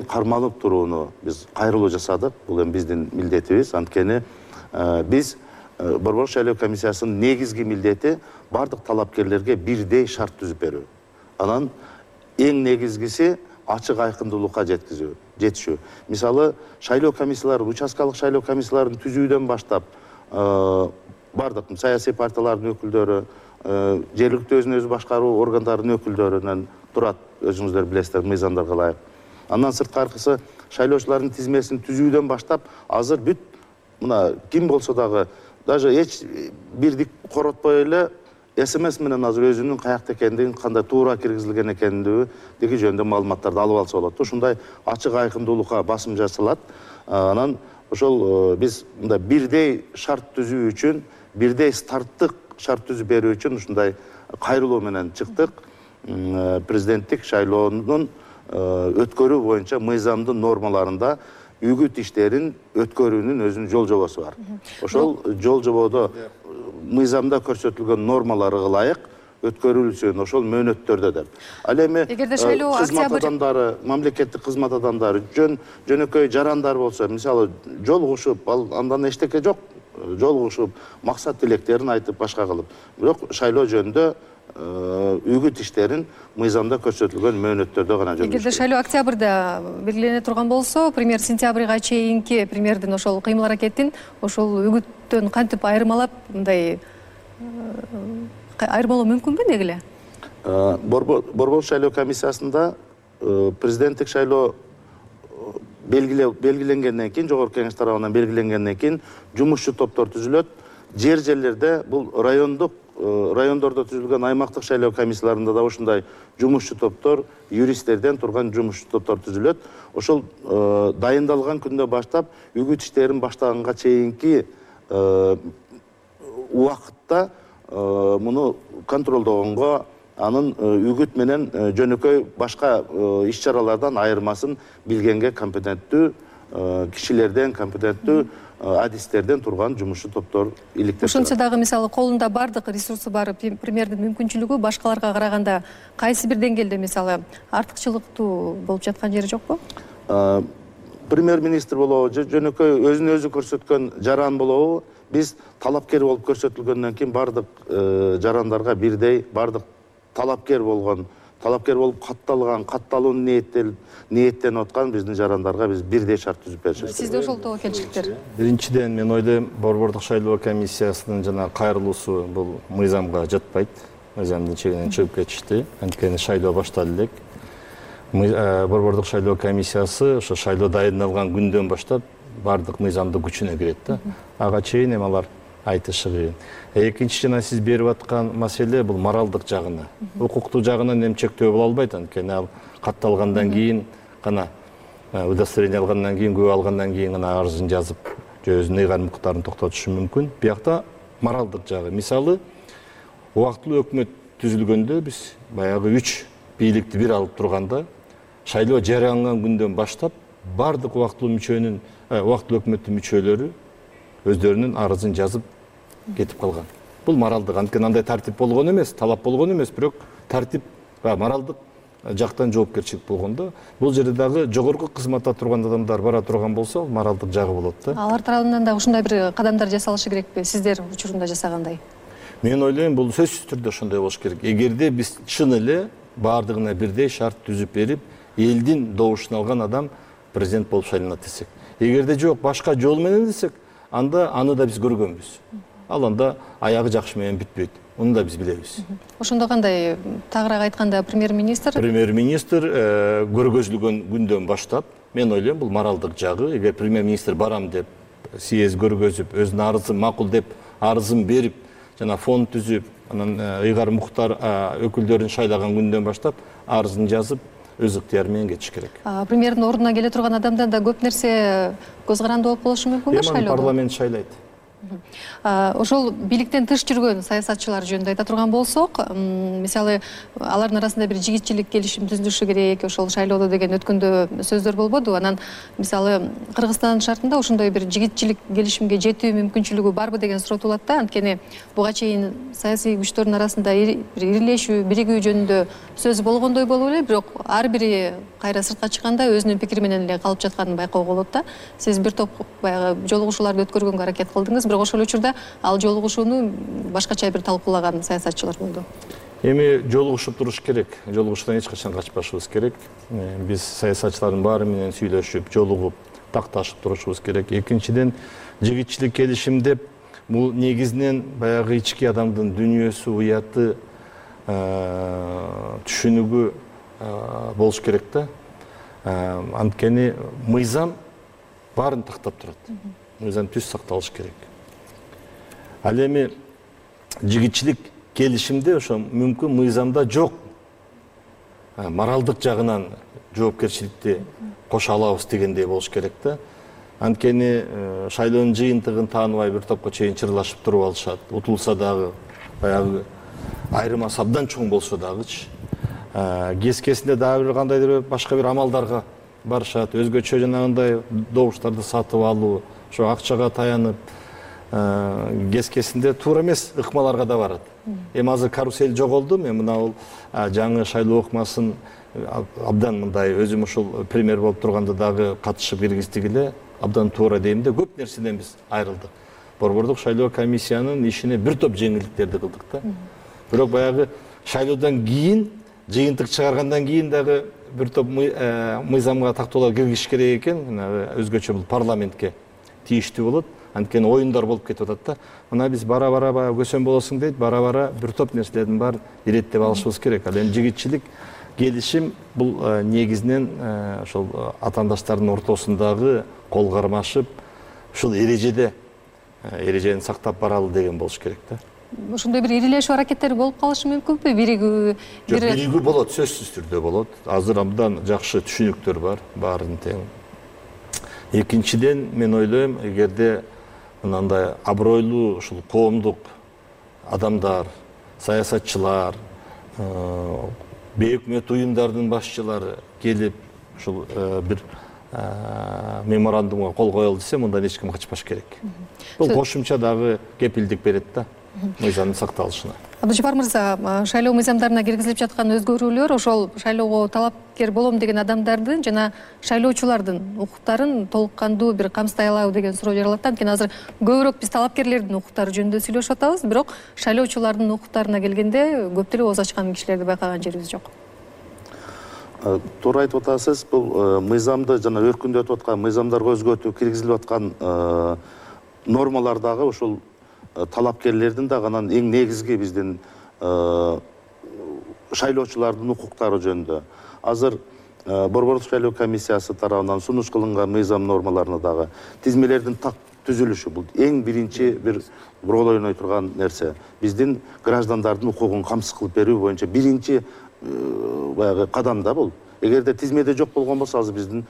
кармалып турууну биз кайрылуу жасадык. Бул эми биздин милдетибиз. Анткени биз Борбордук шайлоо комиссиясынын негизги милдети бардык талапкерлерге бирдей шарт түзүп берүү. Анан эң негизгиси ачык айкындуулукка жетишүү. Мисалы, шайлоо комиссиялары, участкалык шайлоо комиссияларын түзүүдөн баштап бардык саясий партиялардын өкүлдөрү, жергиликтүү өзүн өзү башкаруу органдарынын өкүлдөрүнөн турат, өзүңүздөр билесиздер, мыйзамдарга ылайык. Андан сырткаркысы шайлоочулардын тизмесин түзүүдөн баштап азыр бүт мына ким болсо дагы даже эч бирдик коротпой эле СМС менен азыр өзүнүн каякта экендигин, кандай туура киргизилген экендиги жөнүндө маалыматтарды алып алса болот. Ушундай ачык айкындуулукка басым жасалат. Анан ошол биз мындай бирдей шарт түзүү үчүн, бирдей старттык шарт түзүп берүү үчүн ушундай кайрылуу менен чыктык. Президенттик шайлоонун өткөрүү боюнча мыйзамдын нормаларында үгүт иштерин өткөрүүнүн өзүнүн жол жобосу бар. Ошол жол жободо мыйзамда көрсөтүлгөн нормаларга ылайык өткөрүлсүн ошол мөөнөттөрдө деп. Ал эми кызмат адамдары, мамлекеттик кызмат адамдары, жөнөкөй жарандар болсо, мисалы жолугушуп, андан эчтеке жок, жолугушуп, максат тилектерин айтып, башка кылып. Бирок шайлоо жөнүндө үгүт иштерин мыйзамда көрсөтүлгөн мөөнөттөрдө гана жүргүзүш. Эгерде шайлоо октябрда белгилене турган болсо, премьер сентябрга чейинки премьердин ошол кыймыл аракетин ошол үгүттөн кантип айырмалап, мындай айырмалоо мүмкүнбү деги эле? Борбордук шайлоо комиссиясында президенттик шайлоо белгиленгенден кийин, жогорку кеңеш тарабынан белгиленгенден кийин жумушчу топтор түзүлөт. Жерлерде бул райондордо түзүлгөн аймактык шайлоо комиссияларында да ушундай жумушчу топтор, юристтерден турган жумушчу топтор түзүлөт. Ошол дайындалган күндөн баштап үгүт иштерин баштаганга чейинки убакытта муну контролдогонго, анын үгүт менен жөнөкөй башка иш чаралардан айырмасын билгенге компетенттүү кишилерден, компетенттүү адистерден турган жумушчу топтор иликтеп. Ошончо дагы мисалы колунда бардык ресурсу бар премьердин мүмкүнчүлүгү башкаларга караганда кайсы бир деңгээлде мисалы артыкчылыктуу болуп жаткан жери жокпу? Премьер-министр болобу, жөнөкөй өзүн өзү көрсөткөн жаран болобу, биз талапкер болуп көрсөтүлгөндөн кийин бардык жарандарга бирдей, бардык талапкер болуп катталуун ниеттенип аткан биздин жарандарга биз бирдей шарт түзүп беришибиз. Сизде ошол тобокелчиликтер? Биринчиден мен ойлойм, Борбордук шайлоо комиссиясынын жана кайрылуусу бул мыйзамга жатпайт. Мыйзамдын чегинен чыгып кетишти. Анткени шайлоо башталды элек. Борбордук шайлоо комиссиясы ошо шайлоо дайындалган күндөн баштап бардык мыйзамдын күчүнө кирет да. Ага чейин эми алар айтышы кыйын. Экинчи жана сиз берип аткан маселе бул моралдык жагына. Укуктуу жагынан эми чектөө боло албайт, анткени ал катталгандан кийин гана, удостоверение алгандан кийин, күбө алгандан кийин гана арызын жазып, же өзүнүн ыйгарым укуктарын токтотушу мүмкүн. Биякта моралдык жагы. Мисалы, убактылуу өкмөт түзүлгөндө биз баягы 3 бийликти бир алып турганда, шайлоо жарыяланган күндөн баштап бардык убактылуу өкмөттүн мүчөлөрү өздөрүнүн арызын жазып кетип калган. Бул моралдык, анткени андай тартип болгон эмес, талап болгон эмес, бирок тартип моралдык жактан жоопкерчилик болгон да. Бул жерде дагы жогорку кызматта турган адамдар бара турган болсо, моралдык жагы болот да. Алар тарабынан да ушундай бир кадамдар жасалышы керекпи, сиздер учурунда жасагандай? Мен ойлойм, бул сөзсүз түрдө ошондой болуш керек. Эгерде биз чын эле бардыгына бирдей шарт түзүп берип, элдин добушун алган адам президент болуп шайланат десек. Эгерде жок, башка жол менен десек, анда аны да биз көргөнбүз. Ал анда аягы жакшы менен бүтпөйт. Муну да биз билебиз. Ошондо кандай тагыраак айтканда премьер-министр көргөзүлгөн күндөн баштап мен ойлойм бул моралдык жагы. Эгер премьер-министр барам деп съезд көргөзүп, өзүнүн арызын макул деп арызын берип, жана фонд түзүп, анан ыйгар муктар өкүлдөрүн шайлаган күндөн баштап арызын жазып, өз ыктыяры менен кетиш керек. Премьердин ордуна келе турган адамдан да көп нерсе көз каранды болуп болушу мүмкүнбү шайлоодо? Парламент шайлайт. Ошол бийликтен тыш жүргөн саясатчылар жөнүндө айта турган болсок, мисалы алардын арасында бир жигитчилик келишим түзүлүшү керек, ошол шайлоодо деген өткөндө сөздөр болбоду. Анан мисалы Кыргызстандын шартында ошондой бир жигитчилик келишимге жетүү мүмкүнчүлүгү барбы деген суроо туулат да. Анткени буга чейин саясий күчтөрдүн арасында бир ирилешүү, биригүү жөнүндө сөз болгондой болуп эле, бирок ар бири кайра сыртка чыкканда өзүнүн пикири менен эле калып жатканын байкоого болот да. Сиз бир топ баягы жолугушууларды өткөргөнгө аракет кылдыңыз, бирок ошол учурда ал жолугушууну башкача бир талкуулаган саясатчылар болду. Эми жолугушуп туруш керек. Жолугушуудан эч качан качпашыбыз керек. Биз саясатчылардын баары менен сүйлөшүп, жолугуп, такташып турушубуз керек. Экинчиден, жигитчилик келишим деп бул негизинен баягы ички адамдын дүйнөсү, уяты, түшүнүгү болуш керек да. Анткени мыйзам баарын тактап турат. Мыйзам түз сакталыш керек. Ал эми жигитчилик келишимде ошо мүмкүн мыйзамда жок. Моралдык жагынан жоопкерчиликти кошо алабыз дегендей болуш керек да. Анткени шайлоонун жыйынтыгын тааныбай бир топко чейин чырлашып туруп алышат. Утулса дагы баягы айырмасы абдан чоң болсо дагычы. Кескесинде дагы бир кандайдыр башка бир амалдарга барышат. Өзгөчө жанагындай добуштарды сатып алуу, ошо акчага таянып, кескесинде туура эмес ыкмаларга да барат. Эми азыр карусель жоголду, мен мына бул жаңы шайлоо ыкмасын абдан мындай өзүм ушул премьер болуп турганда дагы катышып киргиздик эле, абдан туура дейм да, көп нерседен биз айрылдык. Борбордук шайлоо комиссиянын ишине бир топ жеңилдиктерди кылдык да. Бирок баягы шайлоодон кийин, жыйынтык чыгаргандан кийин дагы бир топ мыйзамга тактоолор киргизиш керек экен, өзгөчө бул парламентке тийиштүү болот. Анткени оюндар болуп кетип атат да. Мына биз бара-бара көсөм болосуң дейт, бара-бара бир топ нерселердин баарын иреттеп алышыбыз керек. Ал эми жигитчилик келишим бул негизинен ошол атаандаштардын ортосундагы кол кармашып, ушул эрежени сактап баралы деген болуш керек да. Ошондой бир ирилешүү аракеттери болуп калышы мүмкүнбү? Биригүү биригүү болот, сөзсүз түрдө болот. Азыр абдан жакшы түшүнүктөр бар, баарын тең. Экинчиден, мен ойлойм, эгерде мынандай абройлуу ушул коомдук адамдар, саясатчылар, бейөкмөт уюмдардын башчылары келип ушул бир меморандумга кол коелу десе, мындан эч ким качпаш керек. Бул кошумча дагы кепилдик берет да мыйзамдын сакталышына. Абдыжапар мырза, шайлоо мыйзамдарына киргизилип жаткан өзгөрүүлөр ошол шайлоого талапкер болом деген адамдардын жана шайлоочулардын укуктарын толук кандуу бир камсыздай алабы деген суроо жаралат. Анткени азыр көбүрөөк биз талапкерлердин укуктары жөнүндө сүйлөшүп атабыз, бирок шайлоочулардын укуктарына келгенде көп деле ооз ачкан кишилерди байкаган жерибиз жок. Туура айтып атасыз, бул мыйзамды жана өркүндөтүп аткан мыйзамдарга өзгөртүү киргизилип аткан нормалар дагы ушул талапкерлердин дагы анан эң негизги биздин шайлоочулардын укуктары жөнүндө. Азыр Борбордук шайлоо комиссиясы тарабынан сунуш кылынган мыйзам нормаларына дагы тизмелердин так түзүлүшү бул эң биринчи бир роль ойной турган нерсе. Биздин граждандардын укугун камсыз кылып берүү боюнча биринчи баягы кадам да бул. Эгерде тизмеде жок болгон болсо азыр биздин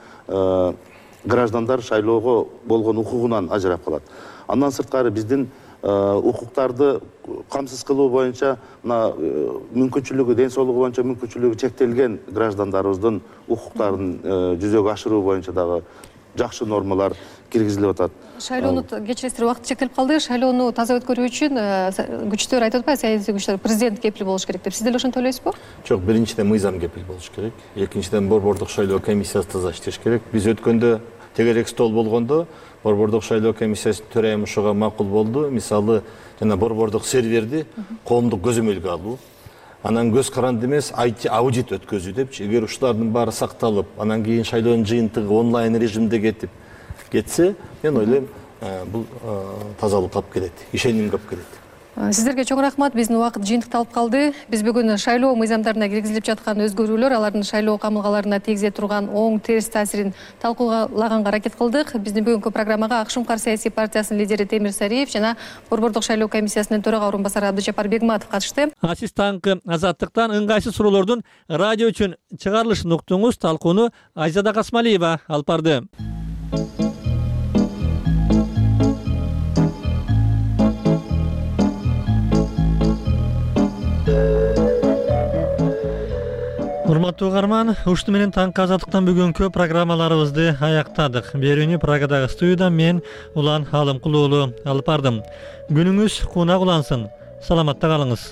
граждандар шайлоого болгон укугунан ажырап калат. Андан сырткары биздин укуктарды камсыз кылуу боюнча мына мүмкүнчүлүгү, ден соолугу боюнча мүмкүнчүлүгү чектелген граждандарыбыздын укуктарын жүзөгө ашыруу боюнча дагы жакшы нормалар киргизилип атат. Шайлоону кечиресиз, убакыт чектелип калды. Шайлоону таза өткөрүү үчүн күчтөр айтып атпайбы, саясий күчтөр, президент кепил болуш керек деп. Сиз деле ошентип ойлойсузбу? Жок, биринчиден мыйзам кепил болуш керек. Экинчиден Борбордук шайлоо комиссиясы таза иштеш керек. Биз өткөндө тегерек стол болгондо Борбордук шайлоо комиссиясынын төрайымы ушуга макул болду. Мисалы, жана борбордук серверди коомдук көзөмөлгө алуу. Анан көз каранды эмес, IT аудит өткөзүү депчи. Эгер ушулардын баары сакталып, анан кийин шайлоонун жыйынтыгы онлайн режимде кетсе, мен ойлойм, бул тазалык алып келет, ишенимге алып келет. Сиздерге чоң рахмат. Биздин убакыт жыйынтыкталып калды. Биз бүгүн шайлоо мыйзамдарына киргизилип жаткан өзгөрүүлөр, алардын шайлоо камылгаларына тийгизе турган оң терс таасирин талкуулаганга аракет кылдык. Биздин бүгүнкү программага ак шумкар саясий партиясынын лидери Темир Сариев жана Борбордук шайлоо комиссиясынын төрага орун басары Абдыжапар Бегматов катышты. Сиз таңкы Азаттыктан ыңгайсыз суроолордун радио үчүн чыгарылышын уктуңуз. Талкууну Айзада Касмалиева алып барды. Урматтуу угарман, ушуну менен таңкы Азаттыктан бүгүнкү программаларыбызды аяктадык. Берүүнү Прагадагы студиядан мен Улан Алымкул уулу алып бардым. Күнүңүз кунак улансын. Саламатта калыңыз.